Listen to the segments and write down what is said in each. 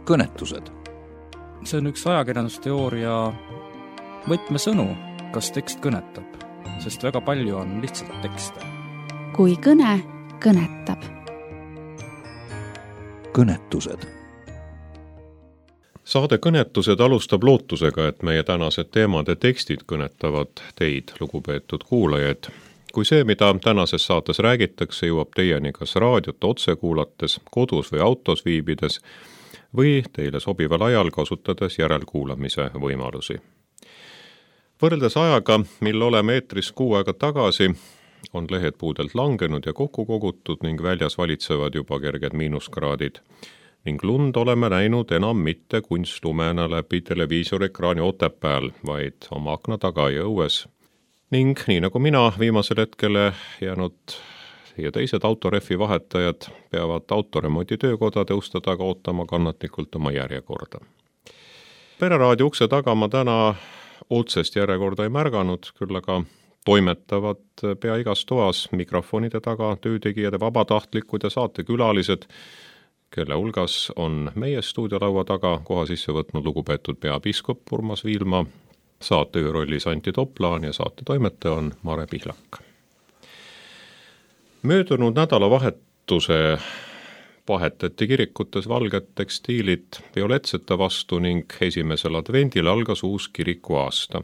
kõnetused. See on üks ajakirjandusteooria võtmesõnu, kas tekst kõnetab, sest väga palju on lihtsalt tekste. Kui kõne kõnetab. Kõnetused. Saade Kõnetused alustab lootusega, et meie tänased teemad ja tekstid kõnetavad teid, lugupeetud kuulajaid. Kui see, mida tänases saates räägitakse, jõuab teieni kas raadiot otse kuulates, kodus või autos viibides või teile sobival ajal kasutades järelkuulamise võimalusi. Võrreldes ajaga, mil oleme eetris 6 aega tagasi, on lehed puudelt langenud ja kokku kogutud ning väljas valitsevad juba kerged miinuskraadid. Ning lund oleme näinud enam mitte kunstlumena läbi televiisorekraani Otepääl, vaid oma akna taga ja õues. Ning nii nagu mina viimasel hetkele jäänud ja teised autorefi vahetajad peavad autoremondi töökodade uste taga ootama kannatlikult oma järjekorda. Pereraadio ukse taga ma täna otsest järjekorda ei märganud, küll aga toimetavad pea igas toas mikrofonide taga töötegijad, vabatahtlikud ja saatekülalised, kelle hulgas on meie stuudiolaua taga koha sisse võtnud lugupeetud peapiiskop Urmas Viilma, saatejuhi rollis Antti Toplaan ja saate toimetaja on Mare Pihlak. Möödunud nädalavahetuse vahetati kirikutes valged tekstiilid violetsete vastu ning esimesel advendil algas uus kirikuaasta.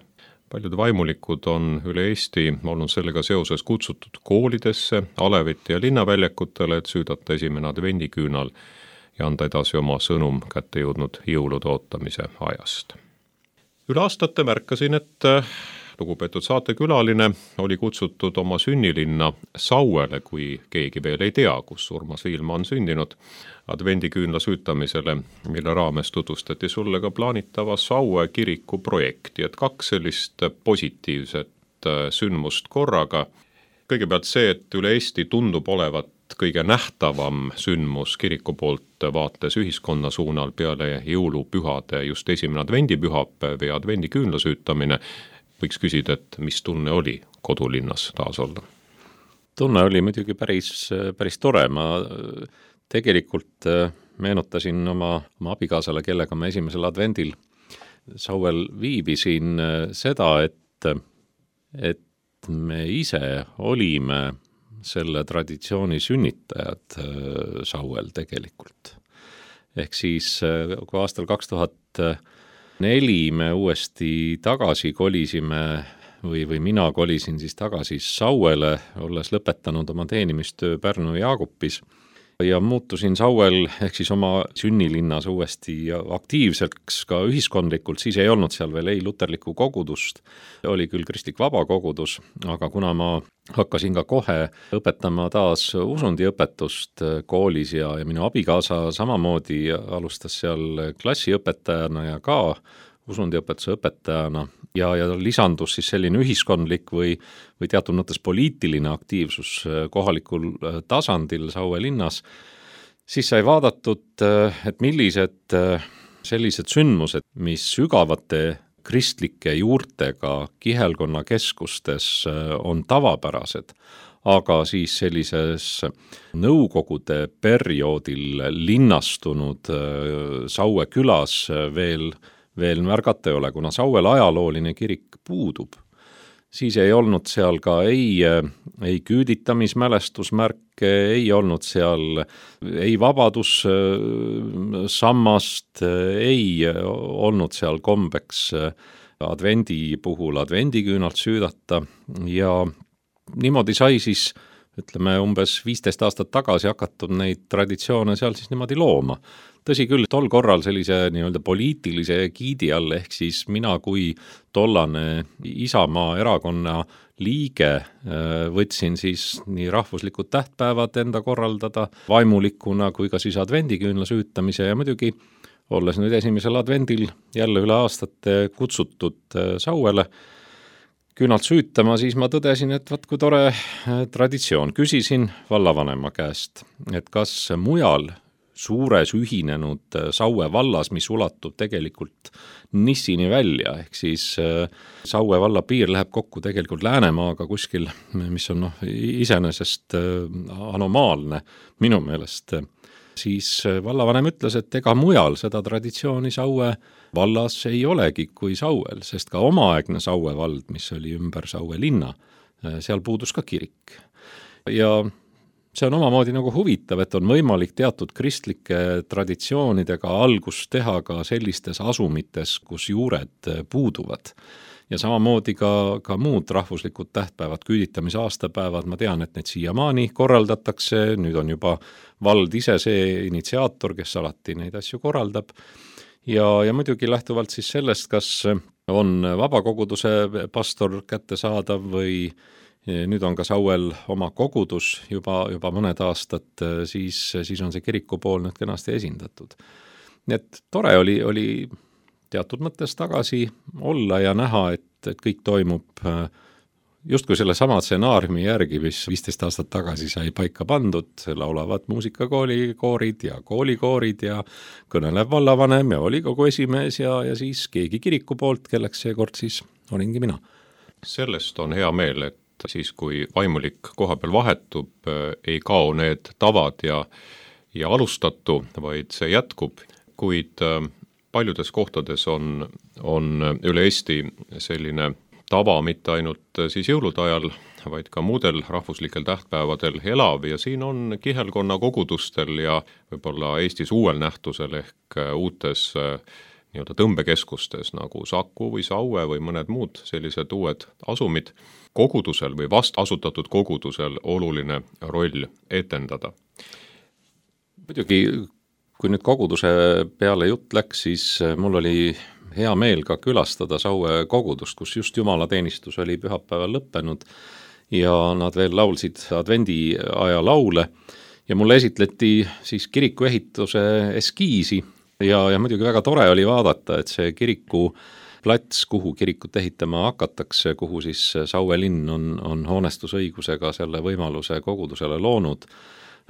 Paljud vaimulikud on üle Eesti olnud sellega seoses kutsutud koolidesse, aleviti ja linnaväljakutele, et süüdata esimene advendiküünal ja anda edasi oma sõnum kätte jõudnud jõulude ootamise ajast. Üle aastate märkasin, et lugupeetud saatekülaline oli kutsutud oma sünnilinna Sauele, kui keegi veel ei tea, kus Urmas Viilma on sündinud, advendiküünla süütamisele, mille raames tutvustati sulle ka plaanitava Saue kiriku projekti, et 2 sellist positiivset sündmust korraga. Kõigepealt see, et üle Eesti tundub olevat kõige nähtavam sündmus kiriku poolt vaates ühiskonna suunal peale jõulupühade just esimene advendipühapäev ja advendiküünla süütamine. Võiks küsida, et mis tunne oli kodulinnas taas olla? Tunne oli muidugi päris tore. Ma tegelikult meenutasin oma abikaasale, kellega me esimesel advendil Sauel viibisin seda, et me ise olime selle traditsiooni sünnitajad Sauel tegelikult. Ehk siis kui aastal 2004 me uuesti tagasi kolisime või mina kolisin siis tagasi Sauele, olles lõpetanud oma teenimistöö Pärnu Jaagupis ja muutusin Sauel ehk siis oma sünnilinnas uuesti aktiivseks ka ühiskondlikult, siis ei olnud seal veel ei luterlikku kogudust, oli küll kristlik vabakogudus, aga kuna ma hakkasin ka kohe õpetama taas usundiõpetust koolis ja minu abikaasa samamoodi alustas seal klassiõpetajana ja ka usundiõpetuse õpetajana ja lisandus siis selline ühiskondlik või teatud mõttes poliitiline aktiivsus kohalikul tasandil Saue linnas, siis sai vaadatud, et millised sellised sündmused, mis sügavate kristlike juurtega kihelkonna keskustes on tavapärased, aga siis sellises nõukogude perioodil linnastunud Saue külas veel märgata ei ole, kuna Sauel ajalooline kirik puudub. Siis ei olnud seal ka ei küüditamismälestusmärke, ei olnud seal ei vabadussammast, ei olnud seal kombeks advendi puhul advendiküünalt süüdata ja niimoodi sai siis, ütleme, umbes 15 aastat tagasi hakatud neid traditsioone seal siis niimoodi looma. Tõsi küll, tol korral sellise nii-öelda poliitilise giidi all, ehk siis mina kui tollane Isamaa erakonna liige võtsin siis nii rahvuslikud tähtpäevad enda korraldada vaimulikuna kui ka siis advendiküünla süütamise ja muidugi olles nüüd esimesel advendil jälle üle aastate kutsutud Sauele küünalt süütama, siis ma tõdesin, et vaat kui tore traditsioon. Küsisin vallavanema käest, et kas mujal suures ühinenud Saue vallas, mis ulatub tegelikult Nissini välja, ehk siis Saue valla piir läheb kokku tegelikult Läänemaaga kuskil, mis on iseenesest anomaalne minu meelest, siis vallavanem ütles, et ega mujal seda traditsiooni Saue vallas ei olegi kui Sauel, sest ka omaaegne Saue vald, mis oli ümber Saue linna, seal puudus ka kirik. Ja see on omamoodi nagu huvitav, et on võimalik teatud kristlike traditsioonidega algust teha ka sellistes asumites, kus juured puuduvad. Ja samamoodi ka muud rahvuslikud tähtpäevad, küüditamise aastapäevad, ma tean, et need siiamaani korraldatakse, nüüd on juba vald ise see initsiaator, kes alati neid asju korraldab. Ja muidugi lähtuvalt siis sellest, kas on vabakoguduse pastor kättesaadav või nüüd on ka Sauel oma kogudus juba mõned aastad, siis on see kiriku pool nüüd kenasti esindatud. Nii et tore oli teatud mõttes tagasi olla ja näha, et kõik toimub justkui selle sama stsenaariumi järgi, mis 15 aastat tagasi sai paika pandud, laulavad muusikakooli koorid ja koolikoorid ja kõnelev vallavanem ja volikogu esimees ja siis keegi kiriku poolt, kelleks seekord siis olingi mina. Sellest on hea meel, et siis kui vaimulik koha peal vahetub, ei kao need tavad ja alustatu, vaid see jätkub, kuid paljudes kohtades on üle Eesti selline tava mitte ainult siis jõulude ajal, vaid ka muudel rahvuslikel tähtpäevadel elav ja siin on kihelkonna kogudustel ja võib-olla Eestis uuel nähtusel ehk uutes nii-öelda tõmbekeskustes nagu Saku või Saue või mõned muud sellised uued asumid kogudusel või vast asutatud kogudusel oluline roll etendada. Muidugi, kui nüüd koguduse peale jutt läks, siis mul oli hea meel ka külastada Saue kogudust, kus just jumalateenistus oli pühapäeval lõppenud ja nad veel laulsid advendi aja laule ja mulle esitleti siis kiriku ehituse eskiisi ja muidugi väga tore oli vaadata, et see kiriku plats, kuhu kirikut ehitama hakatakse, kuhu siis Saue linn on hoonestusõigusega selle võimaluse kogudusele loonud.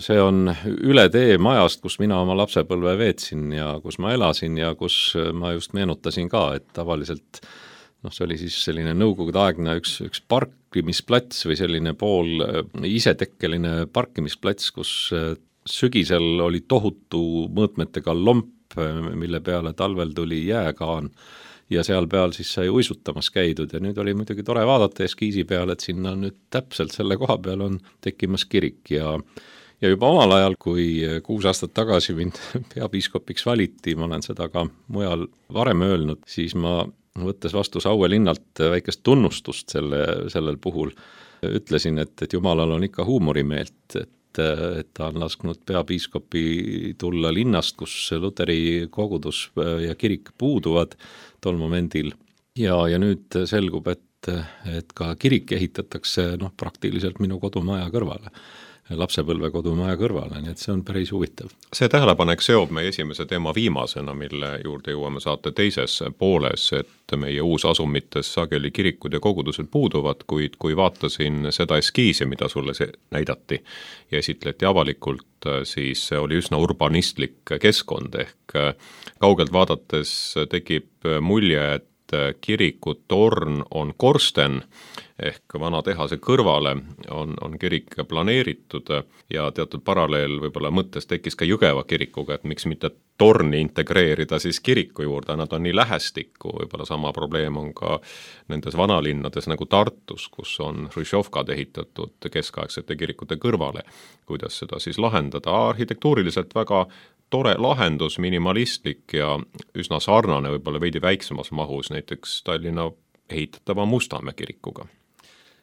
See on üle tee majast, kus mina oma lapsepõlve veetsin ja kus ma elasin ja kus ma just meenutasin ka, et tavaliselt see oli siis selline nõukogudeaegne üks parkimisplats või selline pool isetekkeline parkimisplats, kus sügisel oli tohutu mõõtmetega lomp, mille peale talvel tuli jääkaan ja seal peal siis sai uisutamas käidud ja nüüd oli muidugi tore vaadata eskiisi peale, et sinna nüüd täpselt selle koha peal on tekkimas kirik ja juba omal ajal, kui 6 aastat tagasi mind peapiiskopiks valiti, ma olen seda ka mujal varem öelnud, siis ma võttes vastu Saue linnalt väikest tunnustust sellel puhul, ütlesin, et Jumalal on ikka huumorimeelt, et ta on lasknud peapiiskopi tulla linnast, kus luteri kogudus ja kirik puuduvad tol momendil ja nüüd selgub, et ka kirik ehitatakse praktiliselt minu kodumaja kõrvale, lapsepõlve kodumaja kõrvale, nii et see on päris huvitav. See tähelepanek seob meie esimese teema viimasena, mille juurde jõuame saate teises pooles, et meie uusasumites sageli kirikud ja kogudused puuduvad, kuid kui vaatasin seda eskiisi, mida sulle näidati ja esitleti avalikult, siis see oli üsna urbanistlik keskkond ehk kaugelt vaadates tekib mulje, et kiriku torn on korsten ehk vana tehase kõrvale on kirik planeeritud ja teatud paralleel võib-olla mõttes tekkis ka Jõgeva kirikuga, et miks mitte torni integreerida siis kiriku juurde, nad on nii lähestikku, võib-olla sama probleem on ka nendes vanalinnades nagu Tartus, kus on Hruštšovkad ehitatud keskaegsete kirikute kõrvale, kuidas seda siis lahendada, arhitektuuriliselt väga tore lahendus, minimalistlik ja üsna sarnane võib-olla veidi väiksemas mahus näiteks Tallinna ehitatava Mustamäe kirikuga.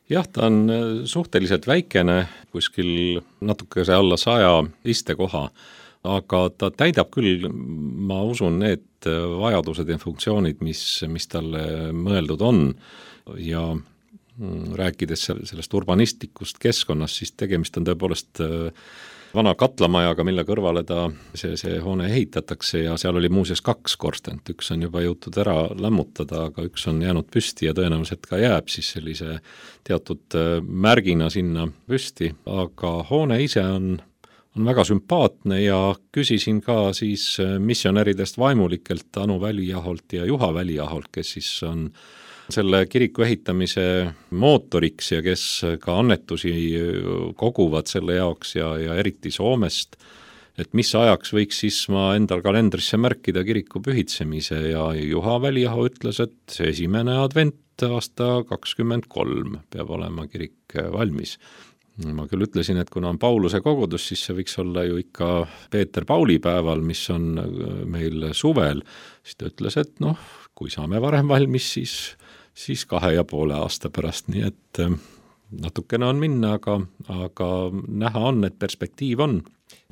Jah, ta on suhteliselt väikene, kuskil natukese alla 100 istekoha, aga ta täidab küll, ma usun, need vajadused ja funktsioonid, mis talle mõeldud on ja rääkides sellest urbanistlikust keskkonnast, siis tegemist on tõepoolest vana katlamajaga, mille kõrvale see hoone ehitatakse ja seal oli muuseas 2 korstent, üks on juba jõutud ära lämmutada, aga üks on jäänud püsti ja tõenäoliselt ka jääb siis sellise teatud märgina sinna püsti, aga hoone ise on väga sümpaatne ja küsisin ka siis missionäridest vaimulikelt Anu Väliaholt ja Juha Väliaholt, kes siis on selle kiriku ehitamise mootoriks ja kes ka annetusi koguvad selle jaoks ja eriti Soomest, et mis ajaks võiks siis ma endal kalendrisse märkida kiriku pühitsemise ja Juha Väliaho ütles, et see 1. advent aasta 23 peab olema kirik valmis. Ma küll ütlesin, et kuna on Pauluse kogudus, siis see võiks olla ju ikka Peeter Pauli päeval, mis on meil suvel, siis ta ütles, et kui saame varem valmis, siis 2,5 aasta pärast, nii et natukene on minna, aga näha on, et perspektiiv on.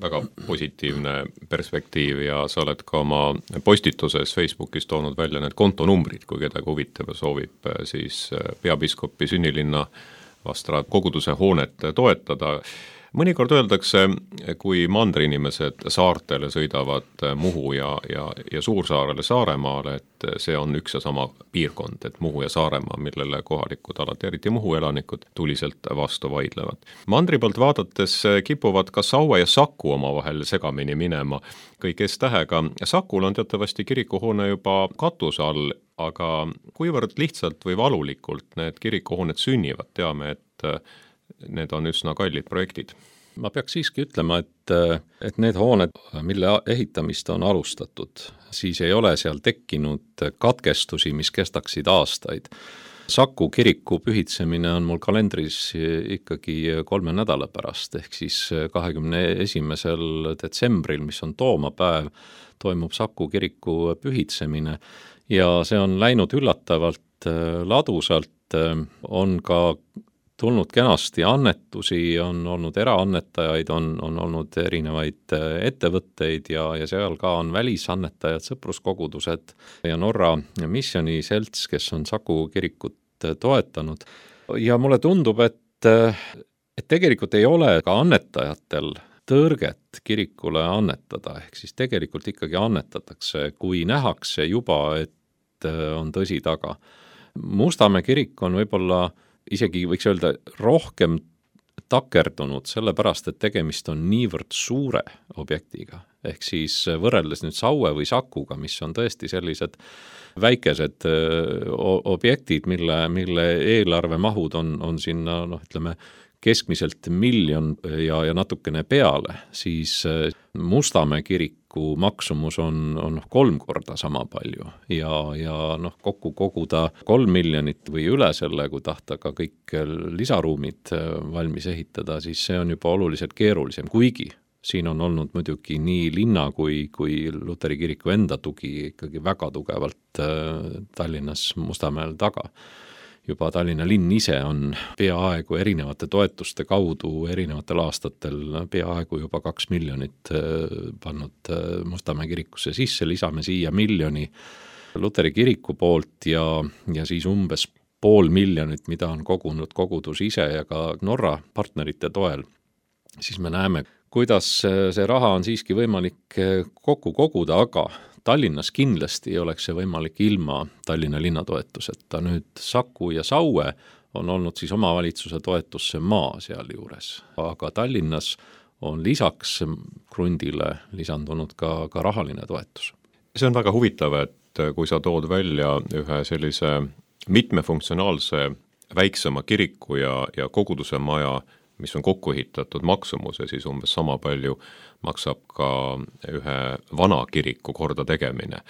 Väga positiivne perspektiiv ja sa oled ka oma postituses Facebookis toonud välja need kontonumbrid, kui kedagi huvitab ja soovib siis peapiiskopi sünnilinna vastavalt koguduse hoonet toetada. Mõnikord öeldakse, kui mandriinimesed saartele sõidavad Muhu ja Suursaarele Saaremaale, et see on üks ja sama piirkond, et Muhu ja Saaremaa, millele kohalikud alati, eriti Muhu elanikud, tuliselt vastu vaidlevad. Mandri poolt vaadates kipuvad ka Saue ja Saku omavahel segamini minema. Kõik S-tähega. Sakul on teatavasti kirikuhoone juba katuse all, aga kuivõrd lihtsalt või valulikult need kirikuhooned sünnivad, teame, et need on üsna kallid projektid. Ma peaks siiski ütlema, et need hooned, mille ehitamist on alustatud, siis ei ole seal tekkinud katkestusi, mis kestaksid aastaid. Saku kiriku pühitsemine on mul kalendris ikkagi 3 nädala pärast, ehk siis 21. detsembril, mis on toomapäev, toimub Saku kiriku pühitsemine ja see on läinud üllatavalt ladusalt, on ka tulnud kenasti annetusi, on olnud eraannetajaid, on olnud erinevaid ettevõtteid ja seal ka on välisannetajad, sõpruskogudused ja Norra Missioni selts, kes on Saku kirikut toetanud. Ja mulle tundub, et tegelikult ei ole ka annetajatel tõrget kirikule annetada, ehk siis tegelikult ikkagi annetatakse, kui nähakse juba, et on tõsi taga. Mustamäe kirik on võib-olla isegi võiks öelda rohkem takerdunud, sellepärast, et tegemist on niivõrd suure objektiga. Ehk siis võrreldes nüüd Saue või Sakuga, mis on tõesti sellised väikesed objektid, mille eelarvemahud on sinna, ütleme, keskmiselt 1 miljon ja natukene peale, siis Mustamäe kiriku maksumus on 3 korda sama palju ja kokku koguda 3 miljonit või üle selle, kui tahta ka kõik lisaruumid valmis ehitada, siis see on juba oluliselt keerulisem, kuigi siin on olnud muidugi nii linna kui Luteri kiriku enda tugi ikkagi väga tugevalt Tallinnas Mustamäel taga. Juba Tallinna linn ise on peaaegu erinevate toetuste kaudu erinevatel aastatel peaaegu juba 2 miljonit pannud Mustamäe kirikusse sisse, lisame siia 1 miljoni Luteri kiriku poolt ja siis umbes 500 000, mida on kogunud kogudus ise ja ka Norra partnerite toel, siis me näeme, kuidas see raha on siiski võimalik kokku koguda, aga Tallinnas kindlasti ei oleks see võimalik ilma Tallinna linnatoetuseta. Nüüd Saku ja Saue on olnud siis omavalitsuse toetusse maa seal juures, aga Tallinnas on lisaks krundile lisandunud ka rahaline toetus. See on väga huvitav, et kui sa tood välja ühe sellise mitmefunktsionaalse väiksema kiriku ja koguduse maja, mis on kokku ehitatud maksumuse, siis umbes sama palju maksab ka ühe vana kiriku korda tegemine.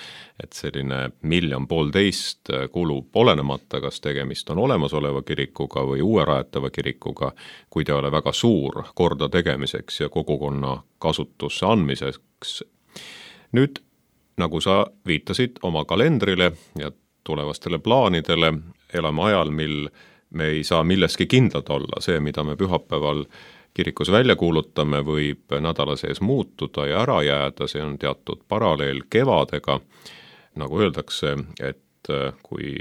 Et selline 1,5 miljonit kulub olenemata, kas tegemist on olemasoleva kirikuga või uue rajatava kirikuga, kui ta ei ole väga suur korda tegemiseks ja kogukonna kasutusse andmiseks. Nüüd, nagu sa viitasid oma kalendrile ja tulevastele plaanidele, elame ajal, mil me ei saa milleski kindlad olla. See, mida me pühapäeval kirikus välja kuulutame, võib nädala sees muutuda ja ära jääda, see on teatud paralleel kevadega. Nagu öeldakse, et kui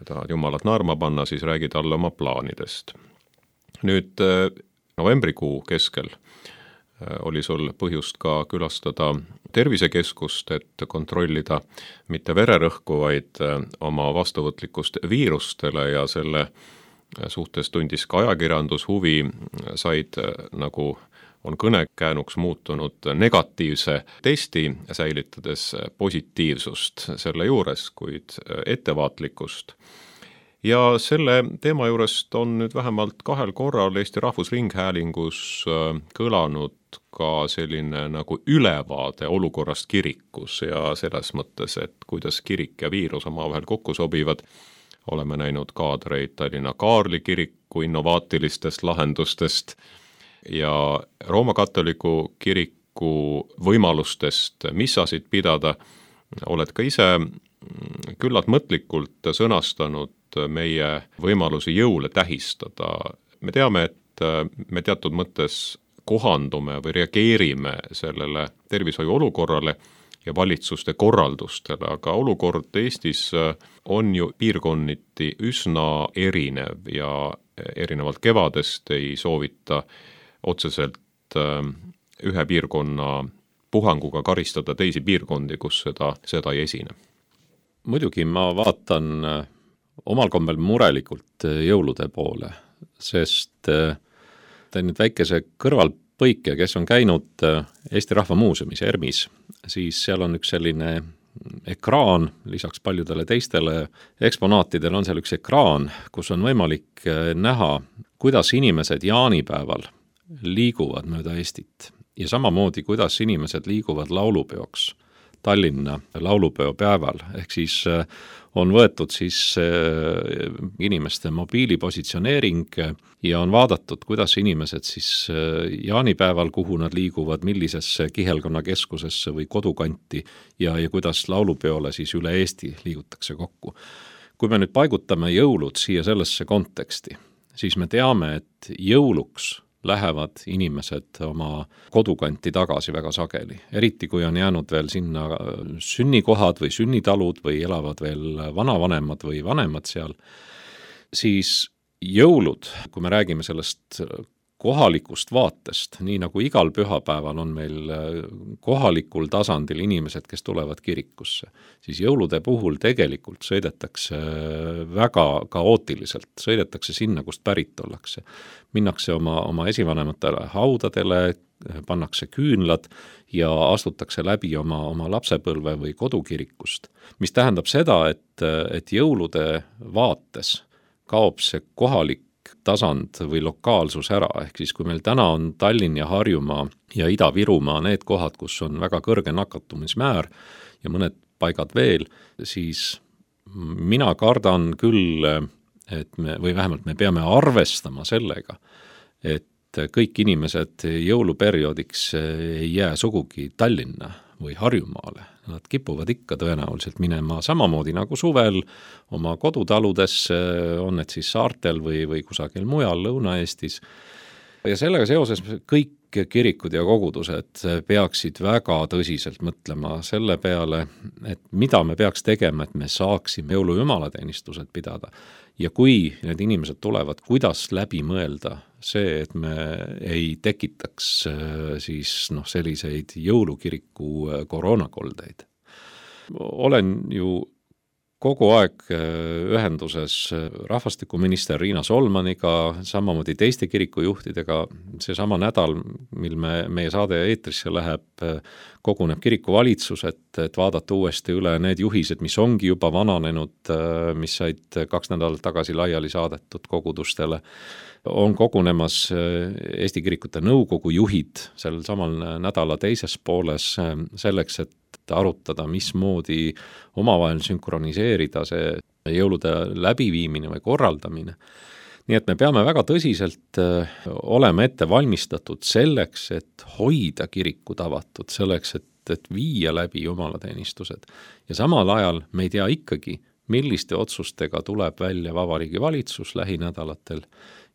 tahad Jumalat naerma panna, siis räägi talle oma plaanidest. Nüüd novembrikuu keskel oli sul põhjust ka külastada tervisekeskust, et kontrollida mitte vererõhku, vaid oma vastuvõtlikkust viirustele ja selle suhtes tundis ka ajakirjandus huvi, said, nagu on kõnekäänuks muutunud, negatiivse testi, säilitades positiivsust selle juures, kuid ettevaatlikkust. Ja selle teema juurest on nüüd vähemalt 2 korral Eesti Rahvusringhäälingus kõlanud ka selline nagu ülevaade olukorrast kirikus ja selles mõttes, et kuidas kirik ja viirus omavahel kokku sobivad. Oleme näinud kaadreid Tallinna Kaarli kiriku innovaatilistest lahendustest ja Rooma katoliku kiriku võimalustest missasid pidada. Oled ka ise küllalt mõtlikult sõnastanud meie võimalusi jõule tähistada. Me teame, et me teatud mõttes kohandume või reageerime sellele tervishoiu olukorrale ja valitsuste korraldustele, aga olukord Eestis on ju piirkonniti üsna erinev ja erinevalt kevadest ei soovita otseselt ühe piirkonna puhanguga karistada teisi piirkondi, kus seda ei esine. Muidugi ma vaatan omal kombel murelikult jõulude poole, sest teen nüüd väikese kõrvalpõike, kes on käinud Eesti Rahva Muuseumis ERMis, siis seal on üks selline ekraan, lisaks paljudele teistele eksponaatidele on seal üks ekraan, kus on võimalik näha, kuidas inimesed jaanipäeval liiguvad mööda Eestit ja samamoodi, kuidas inimesed liiguvad laulupeoks Tallinna laulupeo päeval, ehk siis on võetud siis inimeste mobiilipositsioneering ja on vaadatud, kuidas inimesed siis jaanipäeval, kuhu nad liiguvad, millisesse kihelkonnakeskusesse või kodukanti ja kuidas laulupeole siis üle Eesti liigutakse kokku. Kui me nüüd paigutame jõulud siia sellesse konteksti, siis me teame, et jõuluks lähevad inimesed oma kodukanti tagasi väga sageli. Eriti kui on jäänud veel sinna sünnikohad või sünnitalud või elavad veel vanavanemad või vanemad seal, siis jõulud, kui me räägime sellest kohalikust vaatest, nii nagu igal pühapäeval on meil kohalikul tasandil inimesed, kes tulevad kirikusse, siis jõulude puhul tegelikult sõidetakse väga kaootiliselt, sõidetakse sinna, kust pärit ollakse. Minnakse oma esivanematele haudadele, pannakse küünlad ja astutakse läbi oma lapsepõlve või kodukirikust, mis tähendab seda, et jõulude vaates kaob see kohalik tasand või lokaalsus ära, ehk siis kui meil täna on Tallinn ja Harjumaa ja Ida-Virumaa need kohad, kus on väga kõrge nakatumismäär ja mõned paigad veel, siis mina kardan küll, et või vähemalt me peame arvestama sellega, et kõik inimesed jõuluperioodiks ei jää sugugi Tallinna või Harjumaale. Nad kipuvad ikka tõenäoliselt minema samamoodi nagu suvel oma kodutaludesse, on need siis saartel või kusagil mujal Lõuna-Eestis. Ja sellega seoses kõik kirikud ja kogudused peaksid väga tõsiselt mõtlema selle peale, et mida me peaks tegema, et me saaksime jõulujumalateenistused pidada. Ja kui need inimesed tulevad, kuidas läbi mõelda see, et me ei tekitaks siis selliseid jõulukiriku koroonakoldeid. Olen ju kogu aeg ühenduses rahvastikuminister Riina Solmaniga, samamoodi teiste kirikujuhtidega. Seesama nädal, mil meie saade eetrisse läheb, koguneb kirikuvalitsus, et vaadata uuesti üle need juhised, mis ongi juba vananenud, mis said 2 nädalat tagasi laiali saadetud kogudustele. On kogunemas Eesti Kirikute Nõukogu juhid sel samal nädala teises pooles selleks, et arutada, mismoodi omavahel sünkroniseerida see jõulude läbiviimine või korraldamine. Nii et me peame väga tõsiselt olema ette valmistatud selleks, et hoida kirikud avatud, selleks, et viia läbi jumalateenistused. Ja samal ajal me ei tea ikkagi, milliste otsustega tuleb välja Vabariigi Valitsus lähinädalatel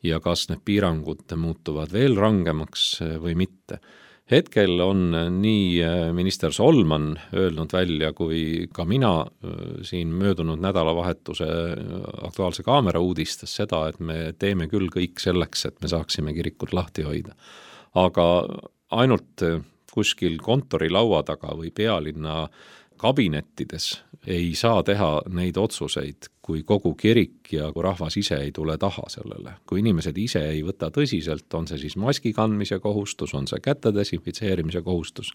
ja kas need piirangud muutuvad veel rangemaks või mitte. Hetkel on nii minister Solman öelnud välja kui ka mina siin möödunud nädalavahetuse Aktuaalse Kaamera uudistes seda, et me teeme küll kõik selleks, et me saaksime kirikud lahti hoida. Aga ainult kuskil kontorilaua taga või pealinna kabinettides ei saa teha neid otsuseid, kui kogu kirik ja kui rahvas ise ei tule taha sellele. Kui inimesed ise ei võta tõsiselt, on see siis maski kandmise kohustus, on see käte desinfitseerimise kohustus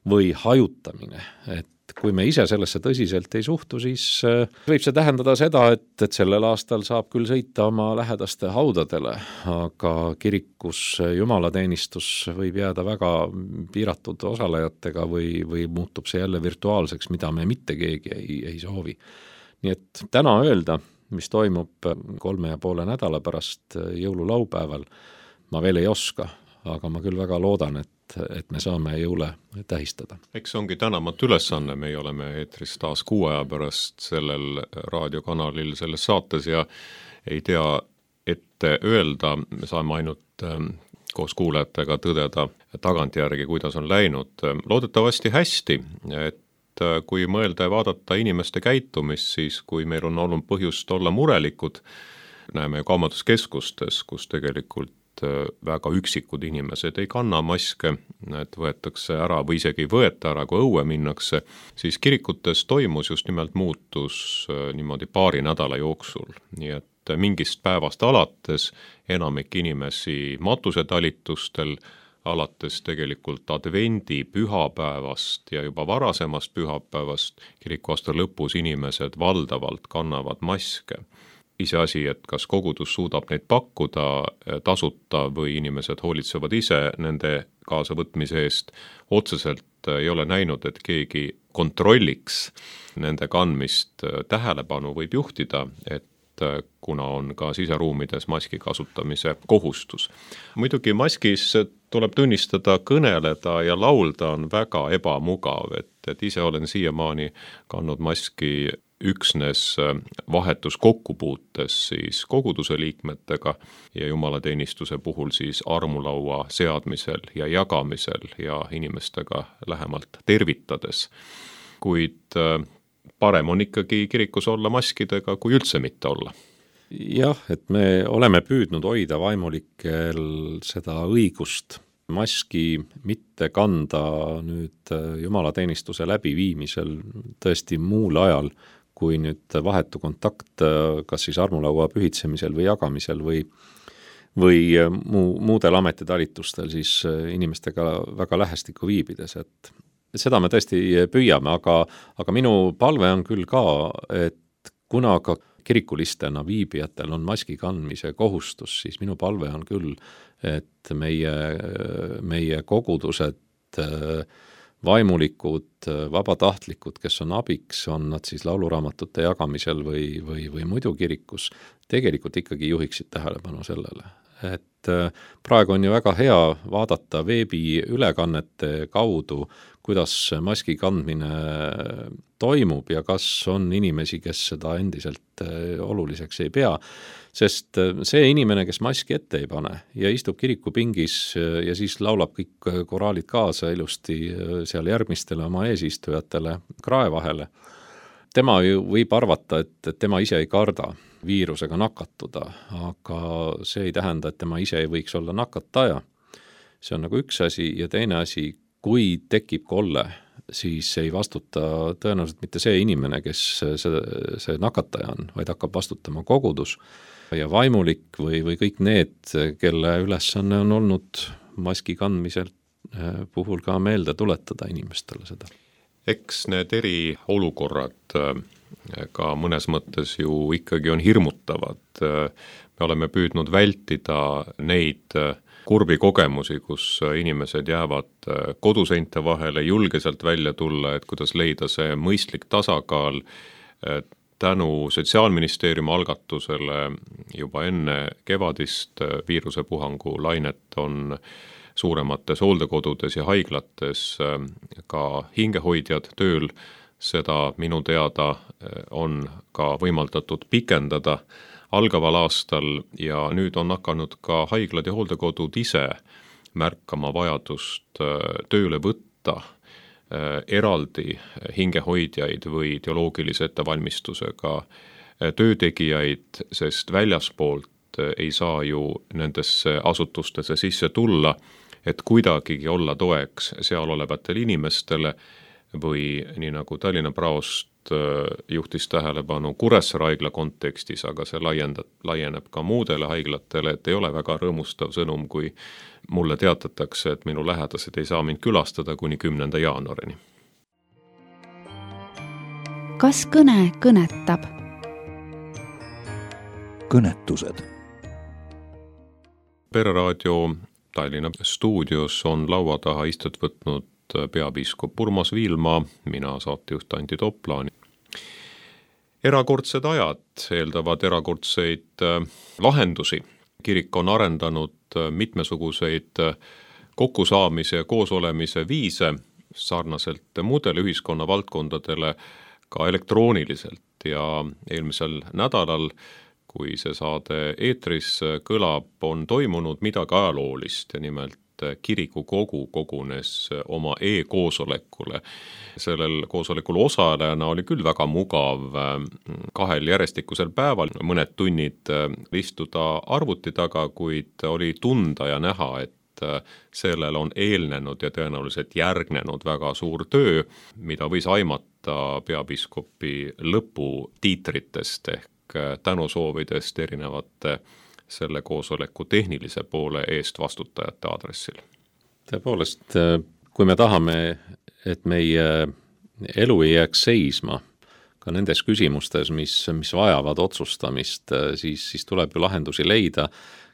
või hajutamine, et kui me ise sellesse tõsiselt ei suhtu, siis võib see tähendada seda, et sellel aastal saab küll sõita oma lähedaste haudadele, aga kirikus jumalateenistus võib jääda väga piiratud osalejatega või muutub see jälle virtuaalseks, mida me mitte keegi ei soovi. Nii et täna öelda, mis toimub 3,5 nädala pärast jõululaupäeval, ma veel ei oska, aga ma küll väga loodan, et me saame jõule tähistada. Eks ongi tänamatu ülesanne, me oleme eetris taas 6 aja pärast sellel raadiokanalil selles saates ja ei tea ette öelda, me saame ainult koos kuulajatega tõdeda tagantjärgi, kuidas on läinud. Loodetavasti hästi, et kui mõelda ja vaadata inimeste käitumist, siis kui meil on olnud põhjust olla murelikud, näeme kaubanduskeskustes, kus tegelikult väga üksikud inimesed ei kanna maske, et võetakse ära või isegi ei võeta ära, kui õue minnakse, siis kirikutes toimus just nimelt muutus niimoodi paari nädala jooksul. Nii et mingist päevast alates enamik inimesi matusetalitustel, alates tegelikult advendi pühapäevast ja juba varasemast pühapäevast kirikuaasta lõpus inimesed valdavalt kannavad maske. Iseasi, et kas kogudus suudab neid pakkuda tasuta või inimesed hoolitsevad ise nende kaasavõtmise eest, otseselt ei ole näinud, et keegi kontrolliks nende kandmist. Tähelepanu võib juhtida, et kuna on ka siseruumides maski kasutamise kohustus. Muidugi maskis tuleb tunnistada, kõneleda ja laulda on väga ebamugav, et ise olen siiamaani kandnud maski üksnes vahetus kokkupuutes siis koguduse liikmetega ja jumalateenistuse puhul siis armulaua seadmisel ja jagamisel ja inimestega lähemalt tervitades. Kuid parem on ikkagi kirikus olla maskidega, kui üldse mitte olla. Jah, et me oleme püüdnud hoida vaimulikel seda õigust maski mitte kanda nüüd jumalateenistuse läbiviimisel tõesti muul ajal, kui nüüd vahetu kontakt kas siis armulaua pühitsemisel või jagamisel või muudel ametitalitustel siis inimestega väga lähestikku viibides, et seda me tõesti püüame, aga minu palve on küll ka, et kuna ka kirikulistena viibijatel on maski kandmise kohustus, siis minu palve on küll, et meie kogudused, vaimulikud, vabatahtlikud, kes on abiks, on nad siis lauluraamatute jagamisel või muidu kirikus, tegelikult ikkagi juhiksid tähelepanu sellele. Et praegu on ju väga hea vaadata veebiülekannete kaudu, kuidas maski kandmine toimub ja kas on inimesi, kes seda endiselt oluliseks ei pea, sest see inimene, kes maski ette ei pane ja istub kirikupingis ja siis laulab kõik koraalid kaasa ilusti seal järgmistele oma eesistujatele krae vahele, tema ju võib arvata, et tema ise ei karda viirusega nakatuda, aga see ei tähenda, et tema ise ei võiks olla nakataja. See on nagu üks asi ja teine asi, kui tekib kolle, siis ei vastuta tõenäoliselt mitte see inimene, kes see nakataja on, vaid hakkab vastutama kogudus ja vaimulik või kõik need, kelle ülesanne on olnud maski kandmisel puhul ka meelde tuletada inimestele seda. Eks need eriolukorrad ka mõnes mõttes ju ikkagi on hirmutavad. Me oleme püüdnud vältida neid kurbi kogemusi, kus inimesed jäävad koduseinte vahele, julgeselt välja tulla, et kuidas leida see mõistlik tasakaal. Tänu Sotsiaalministeeriumi algatusele juba enne kevadist viirusepuhangu lainet on suuremates hooldekodudes ja haiglates ka hingehoidjad tööl. Seda minu teada on ka võimaldatud pikendada algaval aastal ja nüüd on hakanud ka haiglad ja hooldekodud ise märkama vajadust tööle võtta eraldi hingehoidjaid või teoloogilise ettevalmistusega töötegijaid, sest väljaspoolt ei saa ju nendesse asutustesse sisse tulla, et kuidagigi olla toeks seal olevatele inimestele või nii nagu Tallinna praost juhtis tähelepanu Kuressaare haigla kontekstis, aga see laieneb ka muudele haiglatele, et ei ole väga rõõmustav sõnum, kui mulle teatatakse, et minu lähedased ei saa mind külastada kuni 10. jaanuarini. kas kõne kõnetab? Kõnetused. Pereraadio Tallinna stuudios on laua taha istet võtnud peapiiskop Urmas Viilma, mina saatejuht Anti Toplaan. Erakordsed ajad eeldavad erakordseid lahendusi. Kirik on arendanud mitmesuguseid kokkusaamise ja koosolemise viise sarnaselt muudele ühiskonna valdkondadele ka elektrooniliselt ja eelmisel nädalal, kui see saade eetris kõlab, on toimunud midagi ajaloolist ja nimelt kirikukogu kogunes oma e-koosolekule. Sellel koosolekul osalejana oli küll väga mugav 2 järjestikusel päeval mõned tunnid istuda arvuti taga, kuid oli tunda ja näha, et sellel on eelnenud ja tõenäoliselt järgnenud väga suur töö, mida võis aimata peapiiskopi lõputiitritest ehk tänusoovidest erinevate selle koosoleku tehnilise poole eest vastutajate aadressil. Tõepoolest, kui me tahame, et meie elu ei jääks seisma ka nendes küsimustes, mis vajavad otsustamist, siis tuleb ju lahendusi leida.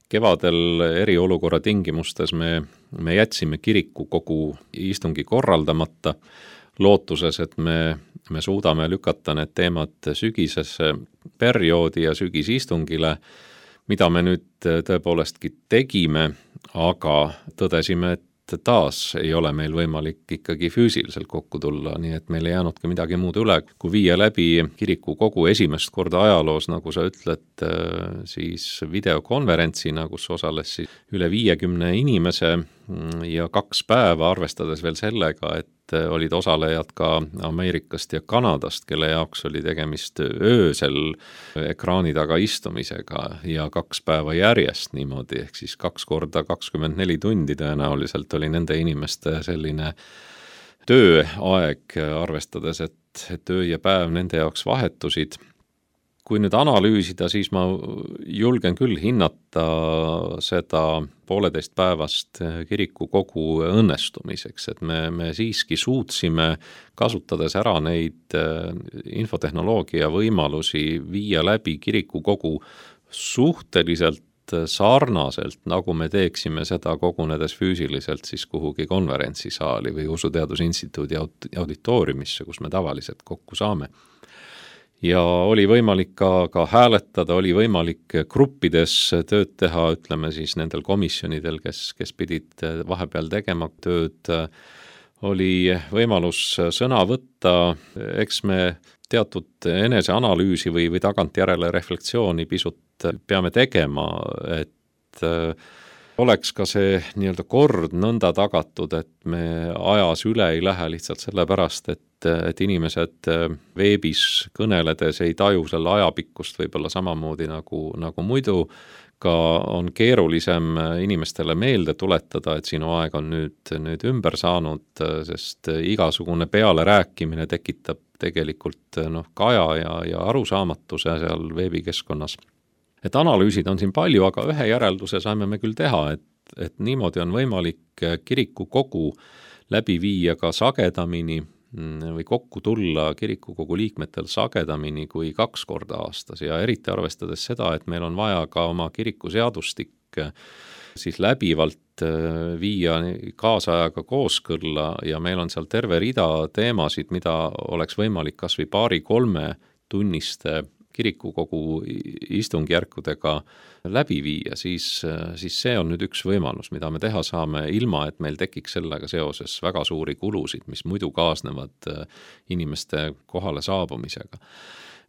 Kevadel eriolukorra tingimustes me jätsime kirikukogu istungi korraldamata, lootuses, et me suudame lükata need teemad sügisesse perioodi ja sügisistungile, mida me nüüd tõepoolestki tegime, aga tõdesime, et taas ei ole meil võimalik ikkagi füüsiliselt kokku tulla, nii et meil ei jäänudki midagi muud üle, kui viia läbi kirikukogu esimest korda ajaloos, nagu sa ütled, siis videokonverentsina, kus osales siis üle 50 inimese ja 2 päeva, arvestades veel sellega, et olid osalejad ka Ameerikast ja Kanadast, kelle jaoks oli tegemist öösel ekraani taga istumisega ja 2 päeva järjest niimoodi, ehk siis 2 korda 24 tundi tõenäoliselt oli nende inimeste selline tööaeg, arvestades, et öö ja päev nende jaoks vahetusid. Kui nüüd analüüsida, siis ma julgen küll hinnata seda 1,5 päevast kirikukogu õnnestumiseks, et me siiski suutsime, kasutades ära neid infotehnoloogia võimalusi, viia läbi kirikukogu suhteliselt sarnaselt, nagu me teeksime seda kogunedes füüsiliselt siis kuhugi konverentsisaali või Usuteadusinstituudi auditooriumisse, kus me tavaliselt kokku saame. Ja oli võimalik ka hääletada, oli võimalik gruppides tööd teha, ütleme siis nendel komisjonidel, kes pidid vahepeal tegema tööd, oli võimalus sõna võtta, eks me teatud eneseanalüüsi või tagantjärele reflektsiooni pisut peame tegema, et oleks ka see nii-öelda kord nõnda tagatud, et me ajas üle ei lähe lihtsalt sellepärast, et inimesed veebis kõneledes ei taju selle ajapikkust võib-olla samamoodi nagu muidu, ka on keerulisem inimestele meelde tuletada, et sinu aeg on nüüd ümber saanud, sest igasugune peale rääkimine tekitab tegelikult kaja ja arusaamatuse seal veebikeskkonnas. Et analüüsid on siin palju, aga ühe järelduse saime me küll teha, et niimoodi on võimalik kirikukogu läbi viia ka sagedamini või kokku tulla kirikukogu liikmetel sagedamini kui 2 korda aastas ja eriti arvestades seda, et meil on vaja ka oma kirikuseadustik siis läbivalt viia kaasajaga kooskõlla ja meil on seal terve rida teemasid, mida oleks võimalik kas või 2-3 tunniste kirikukogu istungjärkudega läbi viia, siis see on nüüd üks võimalus, mida me teha saame, ilma et meil tekiks sellega seoses väga suuri kulusid, mis muidu kaasnevad inimeste kohale saabumisega.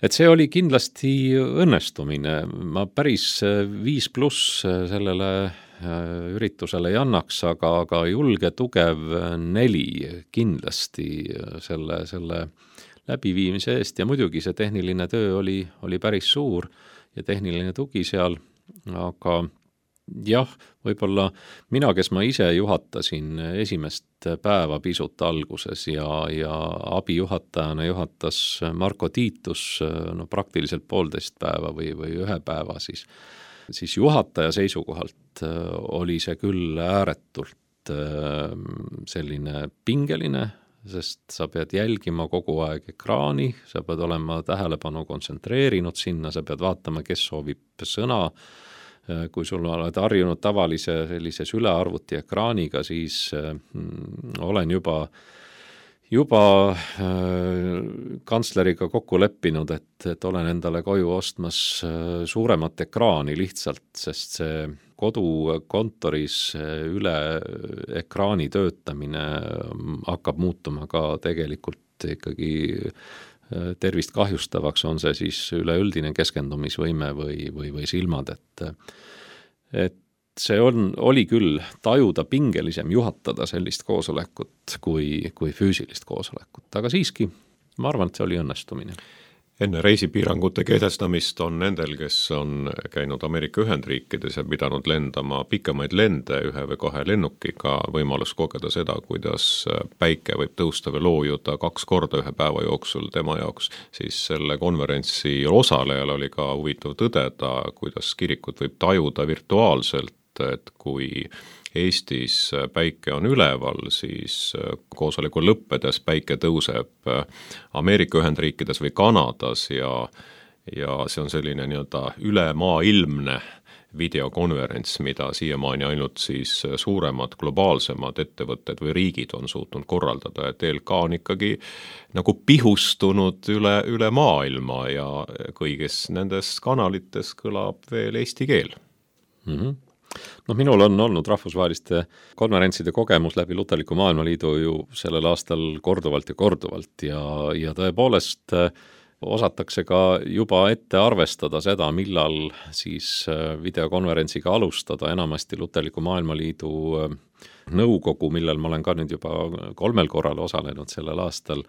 Et see oli kindlasti õnnestumine, ma päris 5+ sellele üritusele ei annaks, aga julge, tugev 4 kindlasti selle läbiviimise eest ja muidugi see tehniline töö oli päris suur ja tehniline tugi seal, aga jah, võib-olla mina, kes ma ise juhatasin esimest päeva pisut alguses ja abijuhatajana juhatas Marko Tiitus praktiliselt 1,5 päeva või 1 päeva, siis juhataja seisukohalt oli see küll ääretult selline pingeline, sest sa pead jälgima kogu aeg ekraani, sa pead olema tähelepanu kontsentreerinud sinna, sa pead vaatama, kes soovib sõna. Kui sul oled harjunud tavalise sellise sülearvuti ekraaniga, siis olen juba kantsleriga kokku leppinud, et olen endale koju ostmas suuremat ekraani lihtsalt, sest see kodukontoris üle ekraani töötamine hakkab muutuma ka tegelikult ikkagi tervist kahjustavaks, on see siis üleüldine keskendumisvõime või silmad, et see oli küll tajuda pingelisem juhatada sellist koosolekut kui füüsilist koosolekut, aga siiski ma arvan, et see oli õnnestumine. Enne reisipiirangute kehtestamist on nendel, kes on käinud Ameerika Ühendriikides ja pidanud lendama pikemaid lende 1 või 2 lennukiga, võimalus kogeda seda, kuidas päike võib tõusta või loojuda 2 korda 1 päeva jooksul tema jaoks, siis selle konverentsi osalejal oli ka huvitav tõdeda, kuidas kirikut võib tajuda virtuaalselt, et kui Eestis päike on üleval, siis koosoleku lõppedes päike tõuseb Ameerika Ühendriikides või Kanadas ja see on selline nii-öelda ülemaailmne videokonverents, mida siiamaani ainult siis suuremad globaalsemad ettevõtted või riigid on suutnud korraldada, et ELK on ikkagi nagu pihustunud üle maailma ja kõigis nendes kanalites kõlab veel eesti keel. Minul on olnud rahvusvaheliste konverentside kogemus läbi Luterliku Maailmaliidu ju sellel aastal korduvalt ja tõepoolest osatakse ka juba ette arvestada seda, millal siis videokonverentsiga alustada. Enamasti Luterliku Maailmaliidu nõukogu, millel ma olen ka nüüd juba 3 korral osalenud sellel aastal,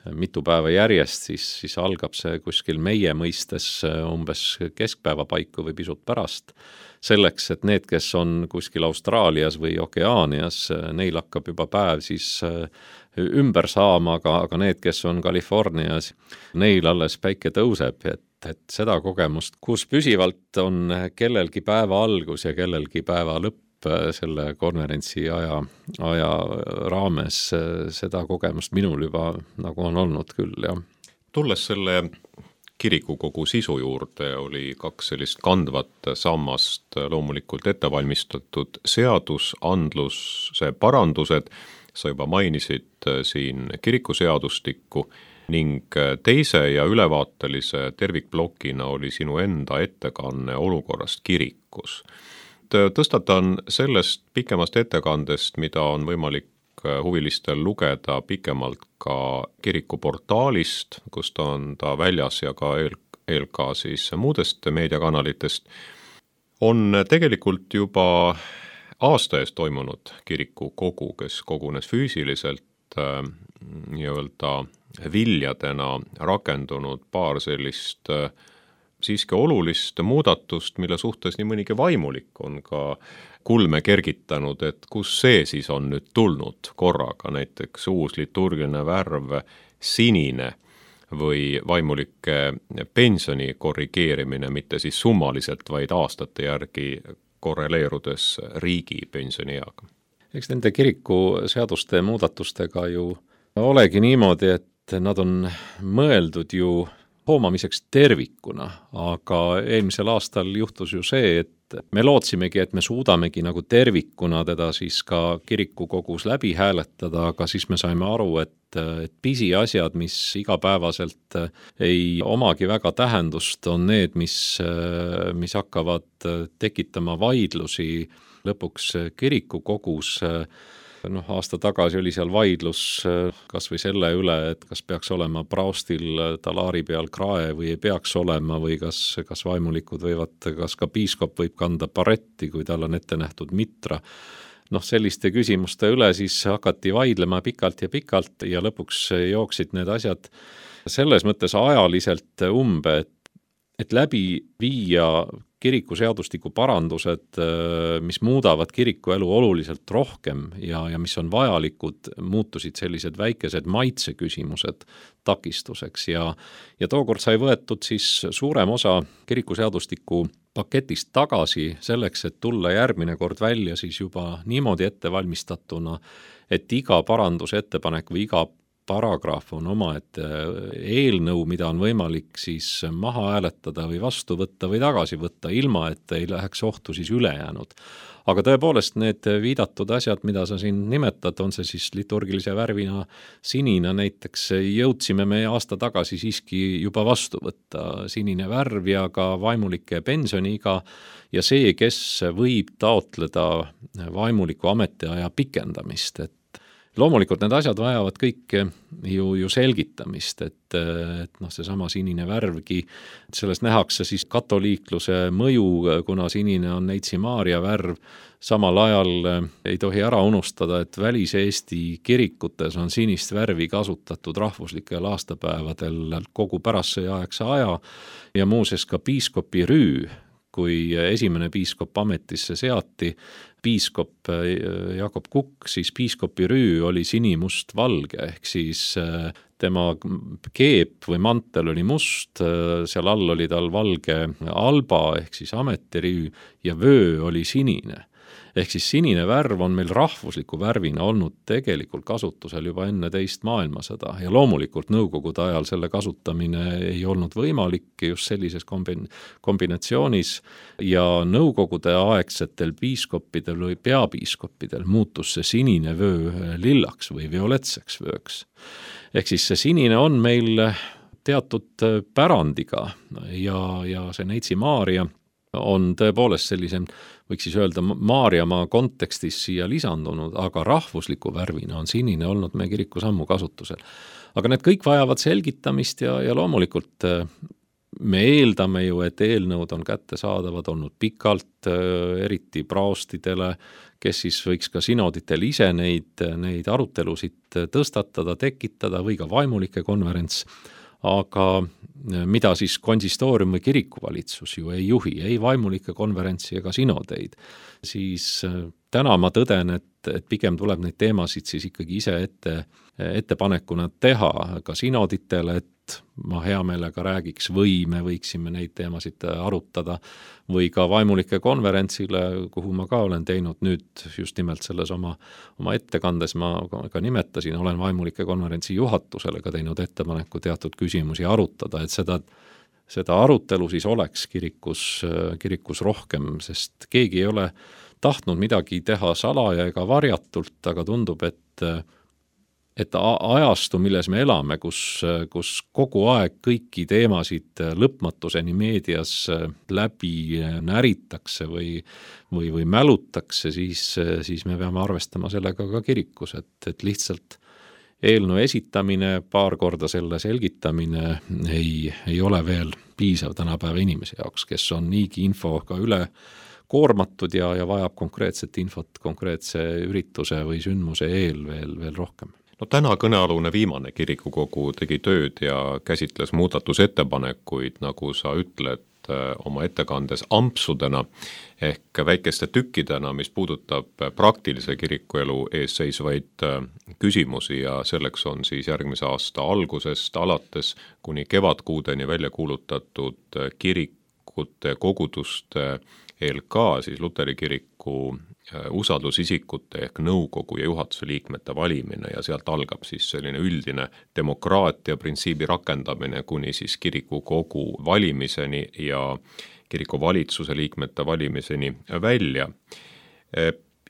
mitu päeva järjest, siis algab see kuskil meie mõistes umbes keskpäeva paiku või pisut pärast, selleks, et need, kes on kuskil Austraalias või Okeaanias, neil hakkab juba päev siis ümber saama, aga need, kes on Californias, neil alles päike tõuseb, et seda kogemust, kus püsivalt on kellelgi päeva algus ja kellelgi päeva lõpp selle konverentsi aja raames, seda kogemust minul juba nagu on olnud küll, jah. Tulles selle kirikukogu sisu juurde, oli 2 sellist kandvat sammast loomulikult ettevalmistatud seadusandluse parandused, sa juba mainisid siin kirikuseadustikku ning teise ja ülevaatelise tervikplokina oli sinu enda ettekanne olukorrast kirikus. Tõstatan sellest pikemast ettekandest, mida on võimalik huvilistel lugeda pikemalt ka kirikuportaalist, kus on ta väljas ja ka ELK siis muudest meediakanalitest, on tegelikult juba aasta eest toimunud kirikukogu, kes kogunes füüsiliselt nii-öelda viljadena rakendunud paar sellist siiski olulist muudatust, mille suhtes nii mõnigi vaimulik on ka kulme kergitanud, et kus see siis on nüüd tulnud korraga, näiteks uus liturgiline värv sinine või vaimulike pensioni korrigeerimine, mitte siis summaliselt, vaid aastate järgi korreleerudes riigi pensionieaga. Eks nende kirikuseaduste muudatustega ju olegi niimoodi, et nad on mõeldud ju hoomamiseks tervikuna, aga eelmisel aastal juhtus ju see, et me lootsimegi, et me suudamegi nagu tervikuna teda siis ka kirikukogus läbi hääletada, aga siis me saime aru, et pisiasjad, mis igapäevaselt ei omagi väga tähendust, on need, mis hakkavad tekitama vaidlusi lõpuks kirikukogus. Aasta tagasi oli seal vaidlus kas või selle üle, et kas peaks olema praostil talaari peal krae või ei peaks olema või kas vaimulikud võivad, kas ka piiskop võib kanda baretti, kui tal on ette nähtud mitra. Selliste küsimuste üle siis hakati vaidlema pikalt ja lõpuks jooksid need asjad selles mõttes ajaliselt umbe, et läbi viia kirikuseadustiku parandused, mis muudavad kirikuelu oluliselt rohkem ja mis on vajalikud, muutusid sellised väikesed maitseküsimused takistuseks ja tookord sai võetud siis suurem osa kirikuseadustiku paketist tagasi selleks, et tulla järgmine kord välja siis juba niimoodi ettevalmistatuna, et iga parandusettepanek või iga paragrahv on omaette eelnõu, mida on võimalik siis maha hääletada või vastu võtta või tagasi võtta, ilma et ei läheks ohtu siis ülejäänud. Aga tõepoolest need viidatud asjad, mida sa siin nimetad, on see siis liturgilise värvina sinine näiteks, jõudsime me aasta tagasi siiski juba vastu võtta. Sinine värv ja ka vaimulike pensioniiga ja see, kes võib taotleda vaimuliku ametiaja pikendamist, et loomulikult need asjad vajavad kõik ju selgitamist, et seesama sinine värvgi, selles nähakse siis katoliikluse mõju, kuna sinine on Neitsi Maarja värv, samal ajal ei tohi ära unustada, et Välis-Eesti kirikutes on sinist värvi kasutatud rahvuslikel aastapäevadel kogu pärastsõjaaegse aja ja muuseas ka piiskopi rüü, kui esimene piiskop ametisse seati, piiskop Jakob Kukk, siis piiskopi rüü oli sinimust-valge, ehk siis tema keep või mantel oli must, seal all oli tal valge alba ehk siis ametirüü ja vöö oli sinine. Ehk siis sinine värv on meil rahvusliku värvina olnud tegelikult kasutusel juba enne teist maailmasõda ja loomulikult nõukogude ajal selle kasutamine ei olnud võimalik just sellises kombinatsioonis ja nõukogude aegsetel piiskoppidel või peapiiskoppidel muutus see sinine vöö lillaks või violetseks vööks. Ehk siis see sinine on meil teatud pärandiga ja see Neitsi Maarja on tõepoolest sellise, võiks siis öelda, Maarjamaa kontekstis siia lisandunud, aga rahvusliku värvina on sinine olnud meie kirikus ammu kasutusel. Aga need kõik vajavad selgitamist ja loomulikult me eeldame ju, et eelnõud on kättesaadavad olnud pikalt, eriti praostidele, kes siis võiks ka sinoditel ise neid arutelusid tõstatada, tekitada või ka vaimulike konverents, aga mida siis konsistoorium või kirikuvalitsus ju ei juhi, ei vaimulike konverentsi ega sinodeid, siis täna ma tõden, et pigem tuleb neid teemasid siis ikkagi ise ettepanekuna teha ka sinoditele, et ma hea meelega räägiks või me võiksime neid teemasid arutada või ka vaimulike konverentsile, kuhu ma ka olen teinud nüüd just nimelt selles oma ettekandes ma ka nimetasin, olen vaimulike konverentsi juhatusele ka teinud ettepaneku teatud küsimusi arutada, et seda arutelu siis oleks kirikus rohkem, sest keegi ei ole tahtnud midagi teha salaja ega varjatult, aga tundub, et ajastu, milles me elame, kus kogu aeg kõiki teemasid lõpmatuseni meedias läbi näritakse või mälutakse, siis me peame arvestama sellega ka kirikus, et lihtsalt eelnõu esitamine, paar korda selle selgitamine ei ole veel piisav tänapäeva inimese jaoks, kes on niigi infoga üle koormatud ja vajab konkreetset infot konkreetse ürituse või sündmuse eel veel rohkem. No täna kõnealune viimane kirikukogu tegi tööd ja käsitles muudatusettepanekuid, nagu sa ütled oma ettekandes ampsudena ehk väikeste tükkidena, mis puudutab praktilise kirikuelu ees seisvaid küsimusi ja selleks on siis järgmise aasta algusest alates kuni kevadkuudeni välja kuulutatud kirikute koguduste ELK, siis Luteri kiriku usaldusisikute ehk nõukogu ja juhatuse liikmete valimine ja sealt algab siis selline üldine demokraatia printsiibi rakendamine kuni siis kirikukogu valimiseni ja kirikuvalitsuse liikmete valimiseni välja.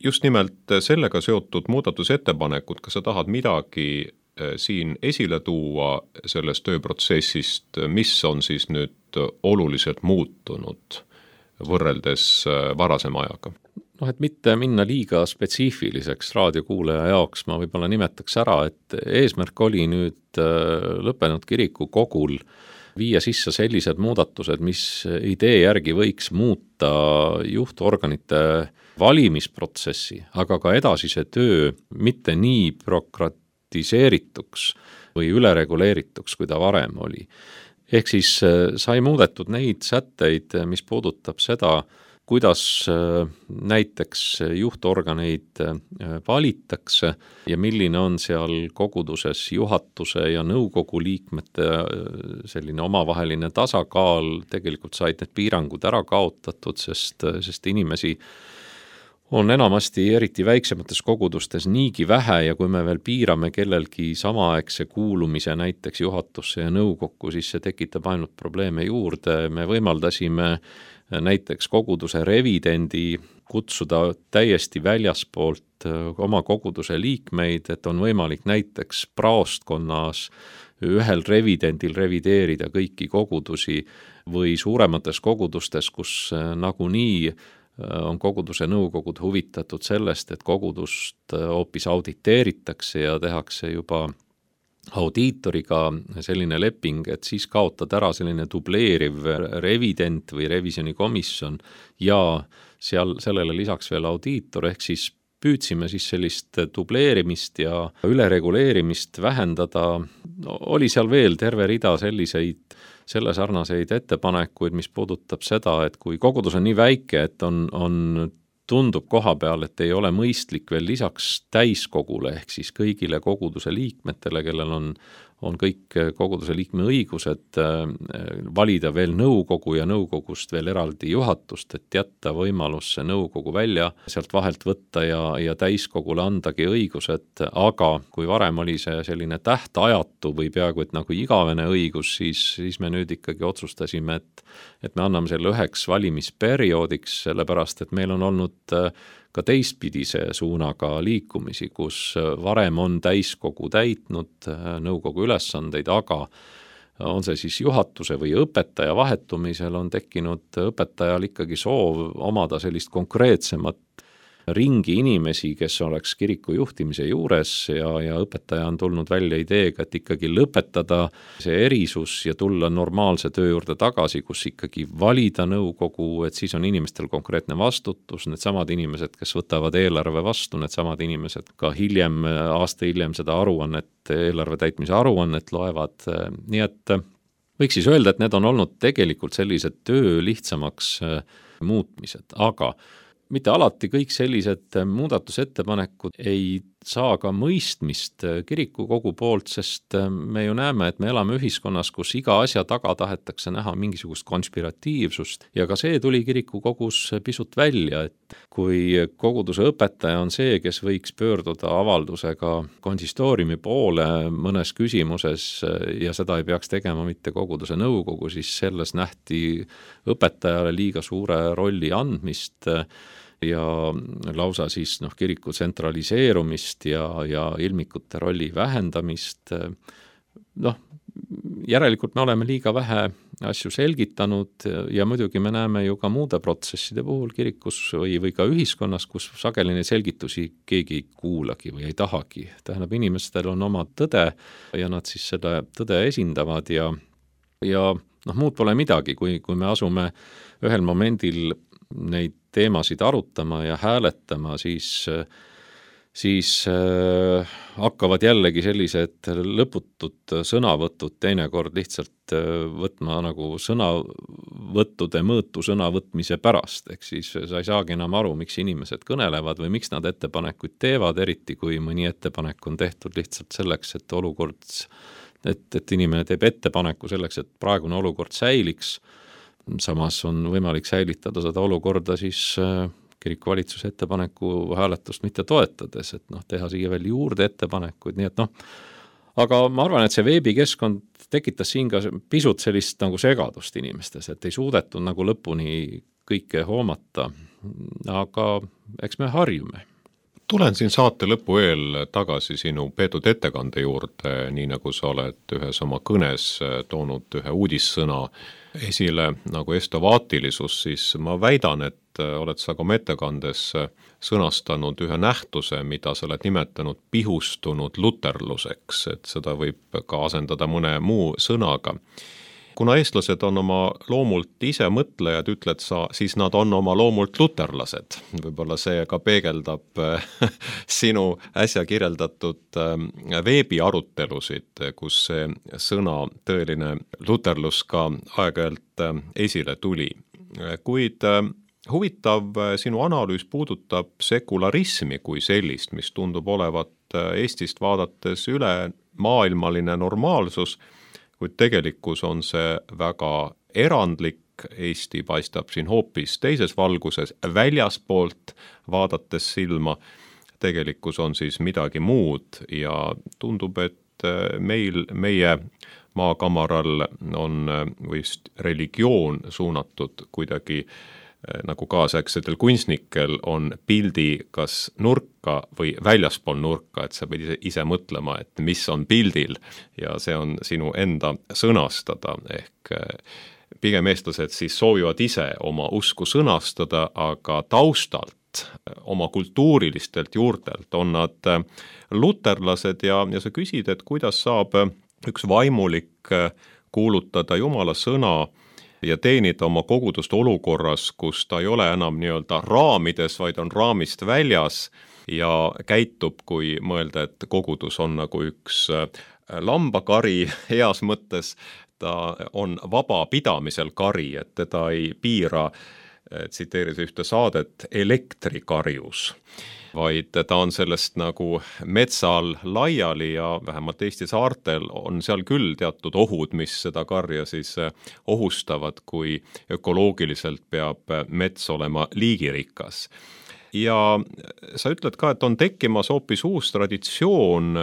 Just nimelt sellega seotud muudatusettepanekud, kas sa tahad midagi siin esile tuua sellest tööprotsessist, mis on siis nüüd oluliselt muutunud võrreldes varasema ajaga? Et mitte minna liiga spetsiifiliseks raadiokuulaja jaoks, ma võib-olla nimetaks ära, et eesmärk oli nüüd lõppenud kirikukogul viia sisse sellised muudatused, mis idee järgi võiks muuta juhtorganite valimisprotsessi, aga ka edasise töö mitte nii bürokratiseerituks või ülereguleerituks, kui ta varem oli. Ehk siis sai muudetud neid sätteid, mis puudutab seda, kuidas näiteks juhtorganeid valitakse ja milline on seal koguduses juhatuse ja nõukogu liikmete selline omavaheline tasakaal, tegelikult said need piirangud ära kaotatud, sest inimesi on enamasti eriti väiksemates kogudustes niigi vähe ja kui me veel piirame kellelgi samaaegse kuulumise näiteks juhatusse ja nõukokku, siis see tekitab ainult probleeme juurde. Me võimaldasime näiteks koguduse revidendi kutsuda täiesti väljaspoolt oma koguduse liikmeid, et on võimalik näiteks praostkonnas ühel revidendil revideerida kõiki kogudusi või suuremates kogudustes, kus nagunii on koguduse nõukogud huvitatud sellest, et kogudust hoopis auditeeritakse ja tehakse juba audiitoriga selline leping, et siis kaotad ära selline dubleeriv revident või revisjonikomisjon ja sellele lisaks veel audiitor, ehk siis püüdsime siis sellist dubleerimist ja ülereguleerimist vähendada. Oli seal veel terve rida selle sarnaseid ettepanekuid, mis puudutab seda, et kui kogudus on nii väike, et tundub koha peal, et ei ole mõistlik veel lisaks täiskogule ehk siis kõigile koguduse liikmetele, kellel on kõik koguduse liikme õigused, valida veel nõukogu ja nõukogust veel eraldi juhatust, et jätta võimalus see nõukogu välja sealt vahelt võtta ja täiskogule andagi õigused, aga kui varem oli see selline tähtajatu või peaaegu et nagu igavene õigus, siis me nüüd ikkagi otsustasime, et me anname selle 1 valimisperioodiks, sellepärast et meil on olnud ka teistpidise suunaga liikumisi, kus varem on täiskogu täitnud nõukogu ülesandeid, aga on see siis juhatuse või õpetaja vahetumisel on tekkinud õpetajal ikkagi soov omada sellist konkreetsemat ringi inimesi, kes oleks kiriku juhtimise juures ja õpetaja on tulnud välja ideega, et ikkagi lõpetada see erisus ja tulla normaalse töö juurde tagasi, kus ikkagi valida nõukogu, et siis on inimestel konkreetne vastutus, needsamad inimesed, kes võtavad eelarve vastu, needsamad inimesed ka aasta hiljem seda eelarve täitmise aruannet loevad, nii et võiks siis öelda, et need on olnud tegelikult sellised töö lihtsamaks muutmised, aga mitte alati kõik sellised muudatusettepanekud ei saa ka mõistmist kirikukogu poolt, sest me ju näeme, et me elame ühiskonnas, kus iga asja taga tahetakse näha mingisugust konspiratiivsust ja ka see tuli kirikukogus pisut välja, et kui koguduse õpetaja on see, kes võiks pöörduda avaldusega konsistooriumi poole mõnes küsimuses ja seda ei peaks tegema mitte koguduse nõukogu, siis selles nähti õpetajale liiga suure rolli andmist ja lausa siis kiriku tsentraliseerumist ja ilmikute rolli vähendamist. Järelikult me oleme liiga vähe asju selgitanud ja muidugi me näeme ju ka muude protsesside puhul kirikus või ka ühiskonnas, kus sageli neid selgitusi keegi ei kuulagi või ei tahagi. Tähendab, inimestel on oma tõde ja nad siis seda tõde esindavad ja muud pole midagi, kui me asume ühel momendil neid teemasid arutama ja hääletama, siis hakkavad jällegi sellised lõputud sõnavõtud teinekord lihtsalt võtma nagu sõnavõttude mõõtu sõnavõtmise pärast, ehk siis sa ei saagi enam aru, miks inimesed kõnelevad või miks nad ettepanekuid teevad, eriti kui mõni ettepanek on tehtud lihtsalt selleks, et inimene teeb ettepaneku selleks, et praegune olukord säiliks. Samas on võimalik säilitada seda olukorda siis kirikuvalitsuse ettepaneku hääletust mitte toetades, et teha siia veel juurde ettepanekuid, nii et aga ma arvan, et see veebikeskkond tekitas siin ka pisut sellist nagu segadust inimestes, et ei suudetud nagu lõpuni kõike hoomata, aga eks me harjume. Tulen siin saate lõpu eel tagasi sinu peetud ettekande juurde, nii nagu sa oled ühes oma kõnes toonud ühe uudissõna esile nagu estovaatilisus, siis ma väidan, et oled sa ka oma ettekandes sõnastanud ühe nähtuse, mida sa oled nimetanud pihustunud luterluseks, et seda võib ka asendada mõne muu sõnaga. Kuna eestlased on oma loomult ise mõtlejad, ütled sa, siis nad on oma loomult luterlased. Võib-olla see ka peegeldab sinu äsja kirjeldatud veebiarutelusid, kus see sõna tõeline luterlus ka aeg-ajalt esile tuli. Kuid huvitav sinu analüüs puudutab sekularismi kui sellist, mis tundub olevat Eestist vaadates üle maailmaline normaalsus, kuid tegelikkus on see väga erandlik Eesti paistab siin hoopis teises valguses, väljaspoolt vaadates silma, tegelikkus on siis midagi muud ja tundub, et meie maakamaral on vist religioon suunatud kuidagi nagu kaasaegsetel kunstnikel on pildi kas nurka või väljaspool nurka, et sa pead ise mõtlema, et mis on pildil ja see on sinu enda sõnastada, ehk pigem eestlased siis soovivad ise oma usku sõnastada, aga taustalt, oma kultuurilistelt juurtelt on nad luterlased ja sa küsid, et kuidas saab üks vaimulik kuulutada Jumala sõna ja teenida oma kogudust olukorras, kus ta ei ole enam nii-öelda raamides, vaid on raamist väljas ja käitub, kui mõelda, et kogudus on nagu üks lambakari heas mõttes, ta on vaba pidamisel kari, et teda ei piira, tsiteeris ühte saadet, elektrikarjus, vaid ta on sellest nagu metsal laiali ja vähemalt Eesti saartel on seal küll teatud ohud, mis seda karja siis ohustavad, kui ökoloogiliselt peab mets olema liigirikas. Ja sa ütled ka, et on tekkimas hoopis uus traditsioon,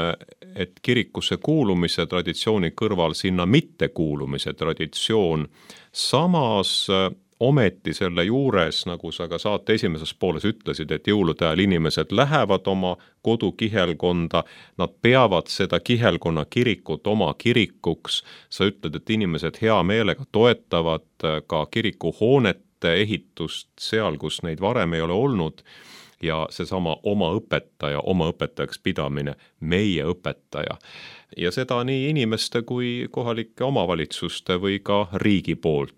et kirikusse kuulumise traditsiooni kõrval sinna mittekuulumise traditsioon, samas ometi selle juures, nagu sa ka saate esimeses pooles ütlesid, et jõulude ajal inimesed lähevad oma kodukihelkonda, nad peavad seda kihelkonna kirikut oma kirikuks, sa ütled, et inimesed hea meelega toetavad ka kirikuhoonete ehitust seal, kus neid varem ei ole olnud, ja seesama oma õpetajaks pidamine, meie õpetaja. Ja seda nii inimeste kui kohalike omavalitsuste või ka riigi poolt.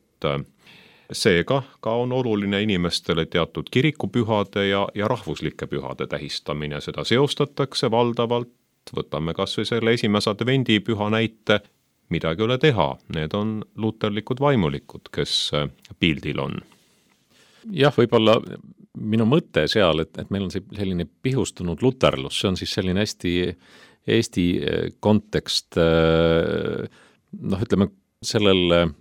Seega ka on oluline inimestele teatud kirikupühade ja rahvuslike pühade tähistamine, seda seostatakse valdavalt, võtame kas või selle esimese advendipüha näite, midagi ei ole teha, need on luterlikud vaimulikud, kes pildil on. Jah, võib-olla minu mõte seal, et meil on selline pihustunud luterlus, see on siis selline Eesti kontekst, ütleme sellel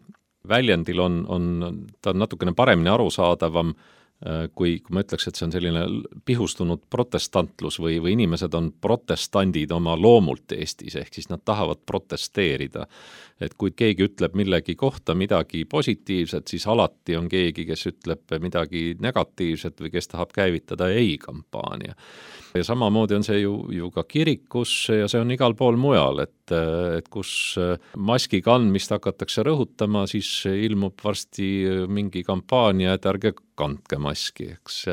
väljendil ta on natukene paremini arusaadavam, kui ma ütleks, et see on selline pihustunud protestantlus või inimesed on protestandid oma loomult Eestis, ehk siis nad tahavad protesteerida. Et kui keegi ütleb millegi kohta midagi positiivset, siis alati on keegi, kes ütleb midagi negatiivset või kes tahab käivitada ei-kampaania. Ja samamoodi on see ju ka kirikus ja see on igal pool mujal, et kus maski kandmist hakatakse rõhutama, siis ilmub varsti mingi kampaania, et ärge kandke maski, eks.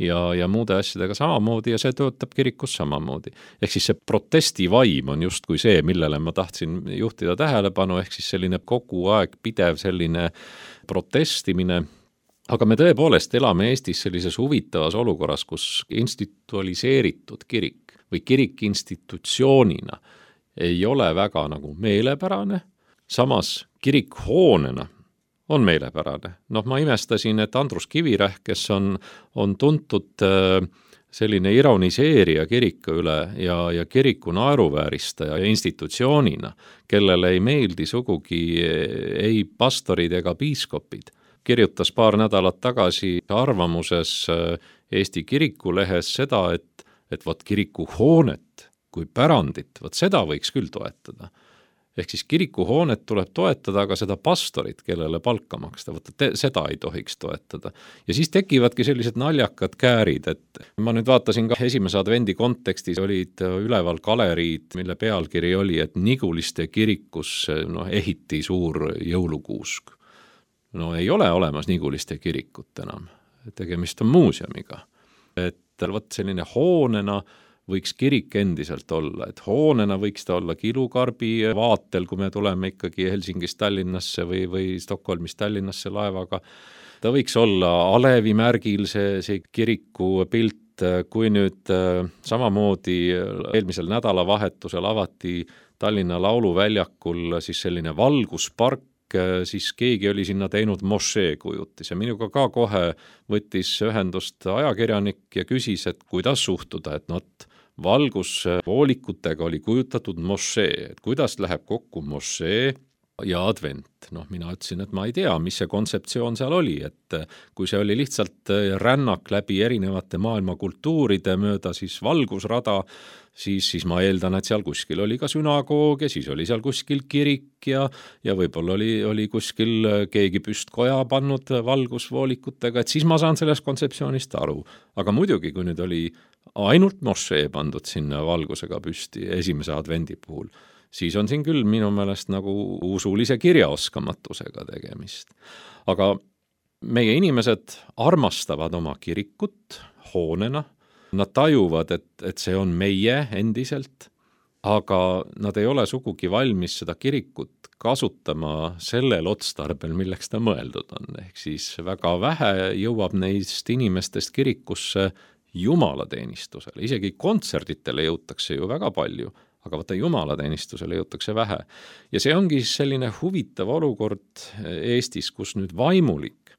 Ja muude asjadega samamoodi ja see töötab kirikus samamoodi. Ehk siis see protestivaim on justkui see, millele ma tahtsin juhtida tähelepanu, ehk siis selline kogu aeg pidev selline protestimine. Aga me tõepoolest elame Eestis sellises huvitavas olukorras, kus institualiseeritud kirik või kirik institutsioonina ei ole väga nagu meelepärane, samas kirikhoonena on meelepärane. Ma imestasin, et Andrus Kivirähk, kes on tuntud selline ironiseerija kiriku üle ja kiriku naeruvääristaja ja institutsioonina, kellele ei meeldi sugugi ei pastorid ega piiskopid, kirjutas paar nädalat tagasi arvamuses Eesti kirikulehes seda, et võt kirikuhoonet kui pärandit, võt seda võiks küll toetada. Ehk siis kirikuhoonet tuleb toetada, aga seda pastorit, kellele palka maksta, seda ei tohiks toetada. Ja siis tekivadki sellised naljakad käärid, et ma nüüd vaatasin ka esimese advendi kontekstis olid üleval galeriid, mille pealkiri oli, et Niguliste kirikus ehiti suur jõulukuusk. Ei ole olemas Niguliste kirikut enam, tegemist on muuseumiga. Et selline hoonena võiks kirik endiselt olla, et hoonena võiks ta olla Kilukarbi vaatel, kui me tuleme ikkagi Helsingist Tallinnasse või Stockholmist Tallinnasse laevaga. Ta võiks olla Alevi märgil see kiriku pilt, kui nüüd samamoodi eelmisel nädalavahetusel avati Tallinna lauluväljakul siis selline valguspark, siis keegi oli sinna teinud mošee kujutis ja minuga ka kohe võttis ühendust ajakirjanik ja küsis, et kuidas suhtuda, et valguspoolikutega oli kujutatud mošee, et kuidas läheb kokku mošee ja advent. Mina ütlesin, et ma ei tea, mis see kontseptsioon seal oli, et kui see oli lihtsalt rännak läbi erinevate maailma kultuuride mööda siis valgusrada, siis ma eeldan, et seal kuskil oli ka sünagoog ja siis oli seal kuskil kirik ja võib-olla oli kuskil keegi püstkoja pannud valgusvoolikutega, et siis ma saan sellest kontseptsioonist aru. Aga muidugi, kui nüüd oli ainult mošee pandud sinna valgusega püsti esimese advendi puhul, siis on siin küll minu meelest nagu usulise kirjaoskamatusega tegemist. Aga meie inimesed armastavad oma kirikut hoonena, nad tajuvad, et see on meie endiselt, aga nad ei ole sugugi valmis seda kirikut kasutama sellel otstarbel, milleks ta mõeldud on. Ehk siis väga vähe jõuab neist inimestest kirikusse jumalateenistusele, isegi kontserditele jõutakse ju väga palju, aga vaata jumalateenistusele jõutakse vähe. Ja see ongi selline huvitav olukord Eestis, kus nüüd vaimulik,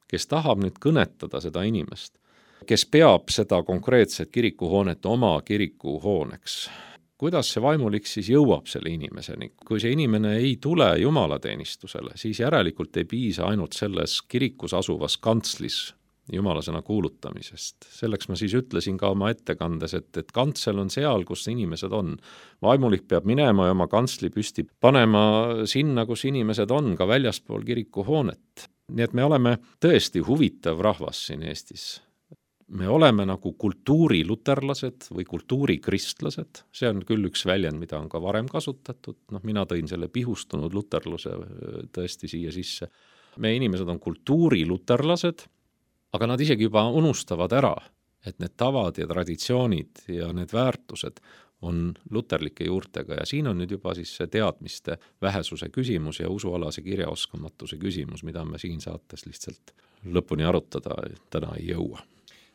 kes tahab nüüd kõnetada seda inimest, kes peab seda konkreetset kirikuhoonet oma kirikuhooneks. Kuidas see vaimulik siis jõuab selle inimeseni? Kui see inimene ei tule jumalateenistusele, siis järelikult ei piisa ainult selles kirikus asuvas kantslis jumalasõna kuulutamisest. Selleks ma siis ütlesin ka oma ettekandes, et kantsel on seal, kus inimesed on. Vaimulik peab minema ja oma kantsli püsti panema sinna, kus inimesed on, ka väljaspool kirikuhoonet. Nii et me oleme tõesti huvitav rahvas siin Eestis. Me oleme nagu kultuuriluterlased või kultuurikristlased. See on küll üks väljend, mida on ka varem kasutatud. Mina tõin selle pihustunud luterluse tõesti siia sisse. Meie inimesed on kultuuriluterlased, aga nad isegi juba unustavad ära, et need tavad ja traditsioonid ja need väärtused on luterlike juurtega ja siin on nüüd juba siis see teadmiste vähesuse küsimus ja usualase kirjaoskamatuse küsimus, mida me siin saates lihtsalt lõpuni arutada täna ei jõua.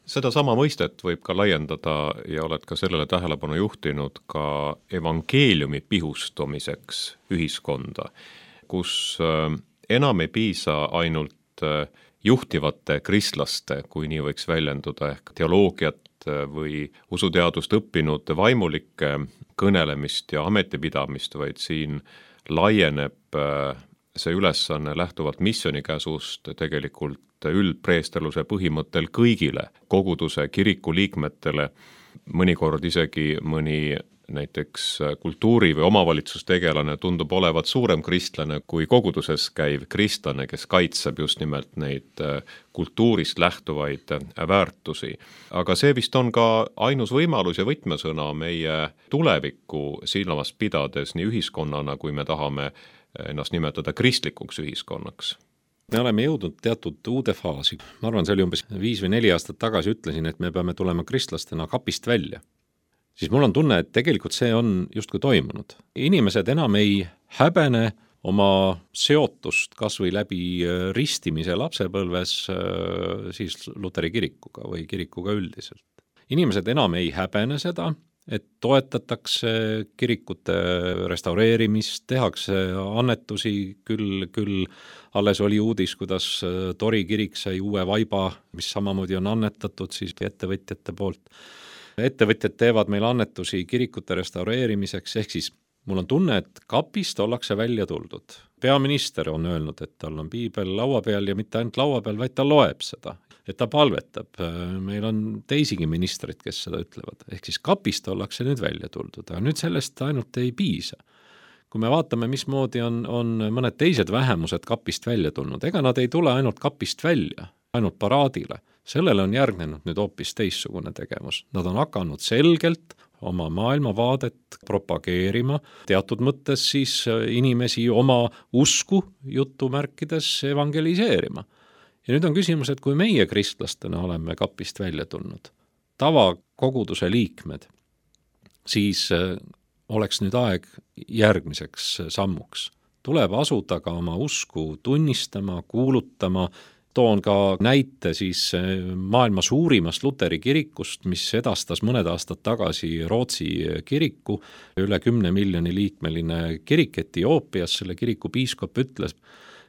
Seda sama mõistet võib ka laiendada ja oled ka sellele tähelepanu juhtinud ka evangeeliumi pihustumiseks ühiskonda, kus enam ei piisa ainult juhtivate kristlaste, kui nii võiks väljenduda, ehk teoloogiat või usuteadust õppinud vaimulike kõnelemist ja ametipidamist, vaid siin laieneb see ülesanne lähtuvalt missioonikäsust tegelikult üldpreesterluse põhimõttel kõigile koguduse kiriku liikmetele, mõnikord isegi mõni näiteks kultuuri- või omavalitsustegelane tundub olevat suurem kristlane kui koguduses käiv kristlane, kes kaitseb just nimelt neid kultuurist lähtuvaid väärtusi. Aga see vist on ka ainus võimalus ja võtmesõna meie tulevikku silmas pidades nii ühiskonnana, kui me tahame ennast nimetada kristlikuks ühiskonnaks. Me oleme jõudnud teatud uude faasi. Ma arvan, see oli umbes 5 või 4 aastat tagasi ütlesin, et me peame tulema kristlastena kapist välja. Siis mul on tunne, et tegelikult see on justkui toimunud. Inimesed enam ei häbene oma seotust kas või läbi ristimise lapsepõlves siis Luteri kirikuga või kirikuga üldiselt. Inimesed enam ei häbene seda, et toetatakse kirikute restaureerimist, tehakse annetusi, küll alles oli uudis, kuidas Tori kirik sai uue vaiba, mis samamoodi on annetatud siis ettevõtjate poolt. Ettevõtjad teevad meil annetusi kirikute restaureerimiseks, ehk siis mul on tunne, et kapist ollakse välja tuldud. Peaminister on öelnud, et tal on piibel laua peal ja mitte ainult laua peal, vaid ta loeb seda, et ta palvetab. Meil on teisigi ministrid, kes seda ütlevad. Ehk siis kapist ollakse nüüd välja tuldud, aga nüüd sellest ainult ei piisa. Kui me vaatame, mismoodi on mõned teised vähemused kapist välja tulnud, ega nad ei tule ainult kapist välja, ainult paraadile. Sellele on järgnenud nüüd hoopis teissugune tegevus. Nad on hakanud selgelt oma maailmavaadet propageerima, teatud mõttes siis inimesi oma usku jutumärkides evangeliseerima. Ja nüüd on küsimus, et kui meie kristlastena oleme kapist välja tulnud, tavakoguduse liikmed, siis oleks nüüd aeg järgmiseks sammuks. Tuleb asuda ka oma usku tunnistama, kuulutama. Toon ka näite siis maailma suurimast Luteri kirikust, mis edastas mõned aastad tagasi Rootsi kiriku, üle 10 miljoni liikmeline kirik Etioopias. Selle kiriku piiskop ütles,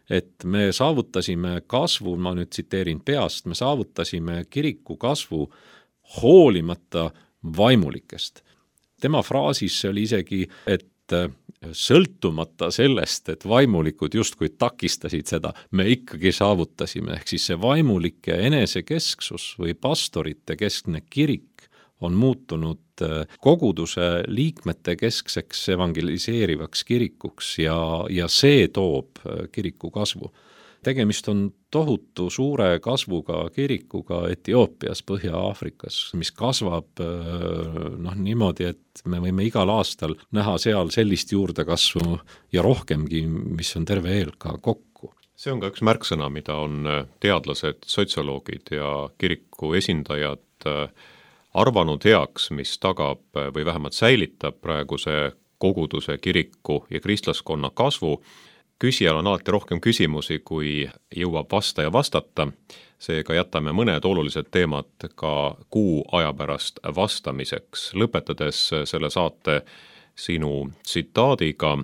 et me saavutasime kasvu, ma nüüd tsiteerin peast, me saavutasime kiriku kasvu hoolimata vaimulikest. Tema fraasis oli isegi, et sõltumata sellest, et vaimulikud justkui takistasid seda, me ikkagi saavutasime, ehk siis see vaimulike enesekesksus või pastorite keskne kirik on muutunud koguduse liikmete keskseks evangeliseerivaks kirikuks ja see toob kiriku kasvu. Tegemist on tohutu suure kasvuga kirikuga Etioopias, Põhja-Aafrikas, mis kasvab niimoodi, et me võime igal aastal näha seal sellist juurdekasvu ja rohkemgi, mis on terve ELK kokku. See on ka üks märksõna, mida on teadlased, sotsioloogid ja kiriku esindajad arvanud heaks, mis tagab või vähemalt säilitab praeguse koguduse, kiriku ja kristlaskonna kasvu. Küsijal on alati rohkem küsimusi, kui jõuab vastaja vastata, seega jätame mõned olulised teemad ka kuu aja pärast vastamiseks. Lõpetades selle saate sinu tsitaadiga: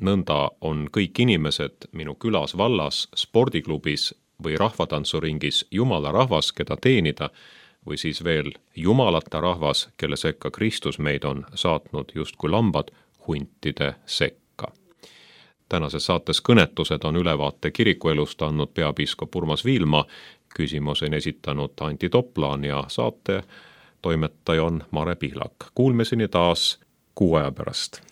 nõnda on kõik inimesed minu külas, vallas, spordiklubis või rahvatantsuringis jumala rahvas, keda teenida, või siis veel jumalata rahvas, kelle sekka Kristus meid on saatnud justkui lambad huntide sekka. Tänases saates Kõnetused on ülevaate kirikuelust andnud peapiiskop Urmas Viilma, küsimus on esitanud Anti Toplaan ja saate toimetaja on Mare Pihlak. Kuulmiseni taas kuu aja pärast.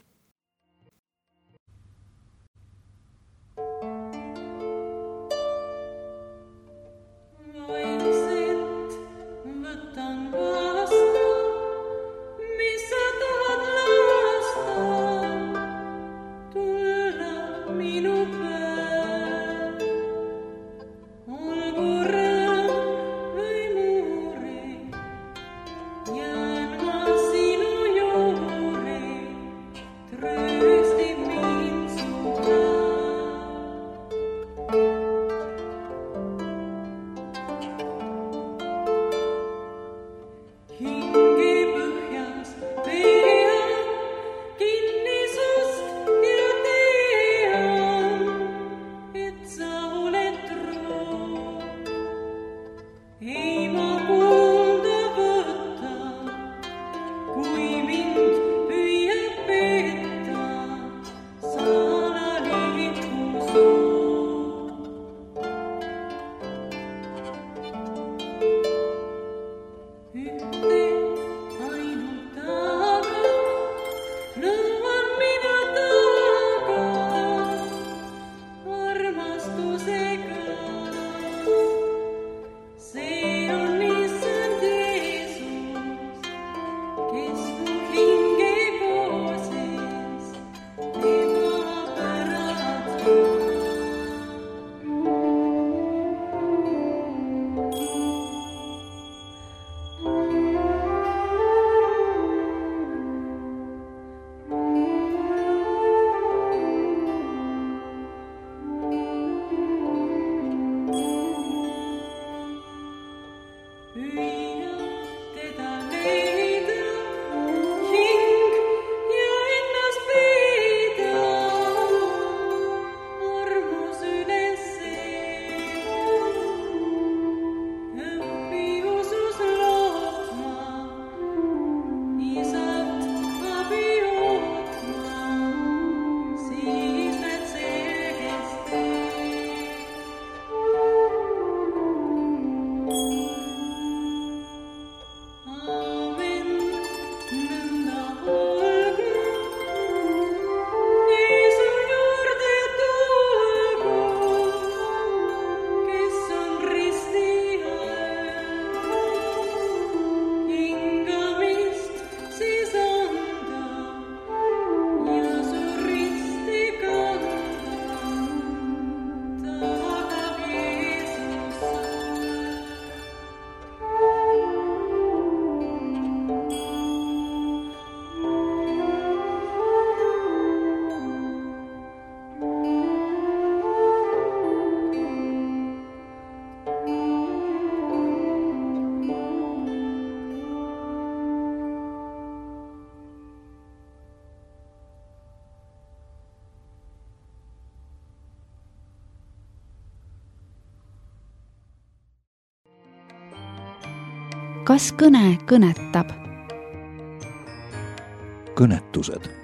Kas kõne kõnetab? Kõnetused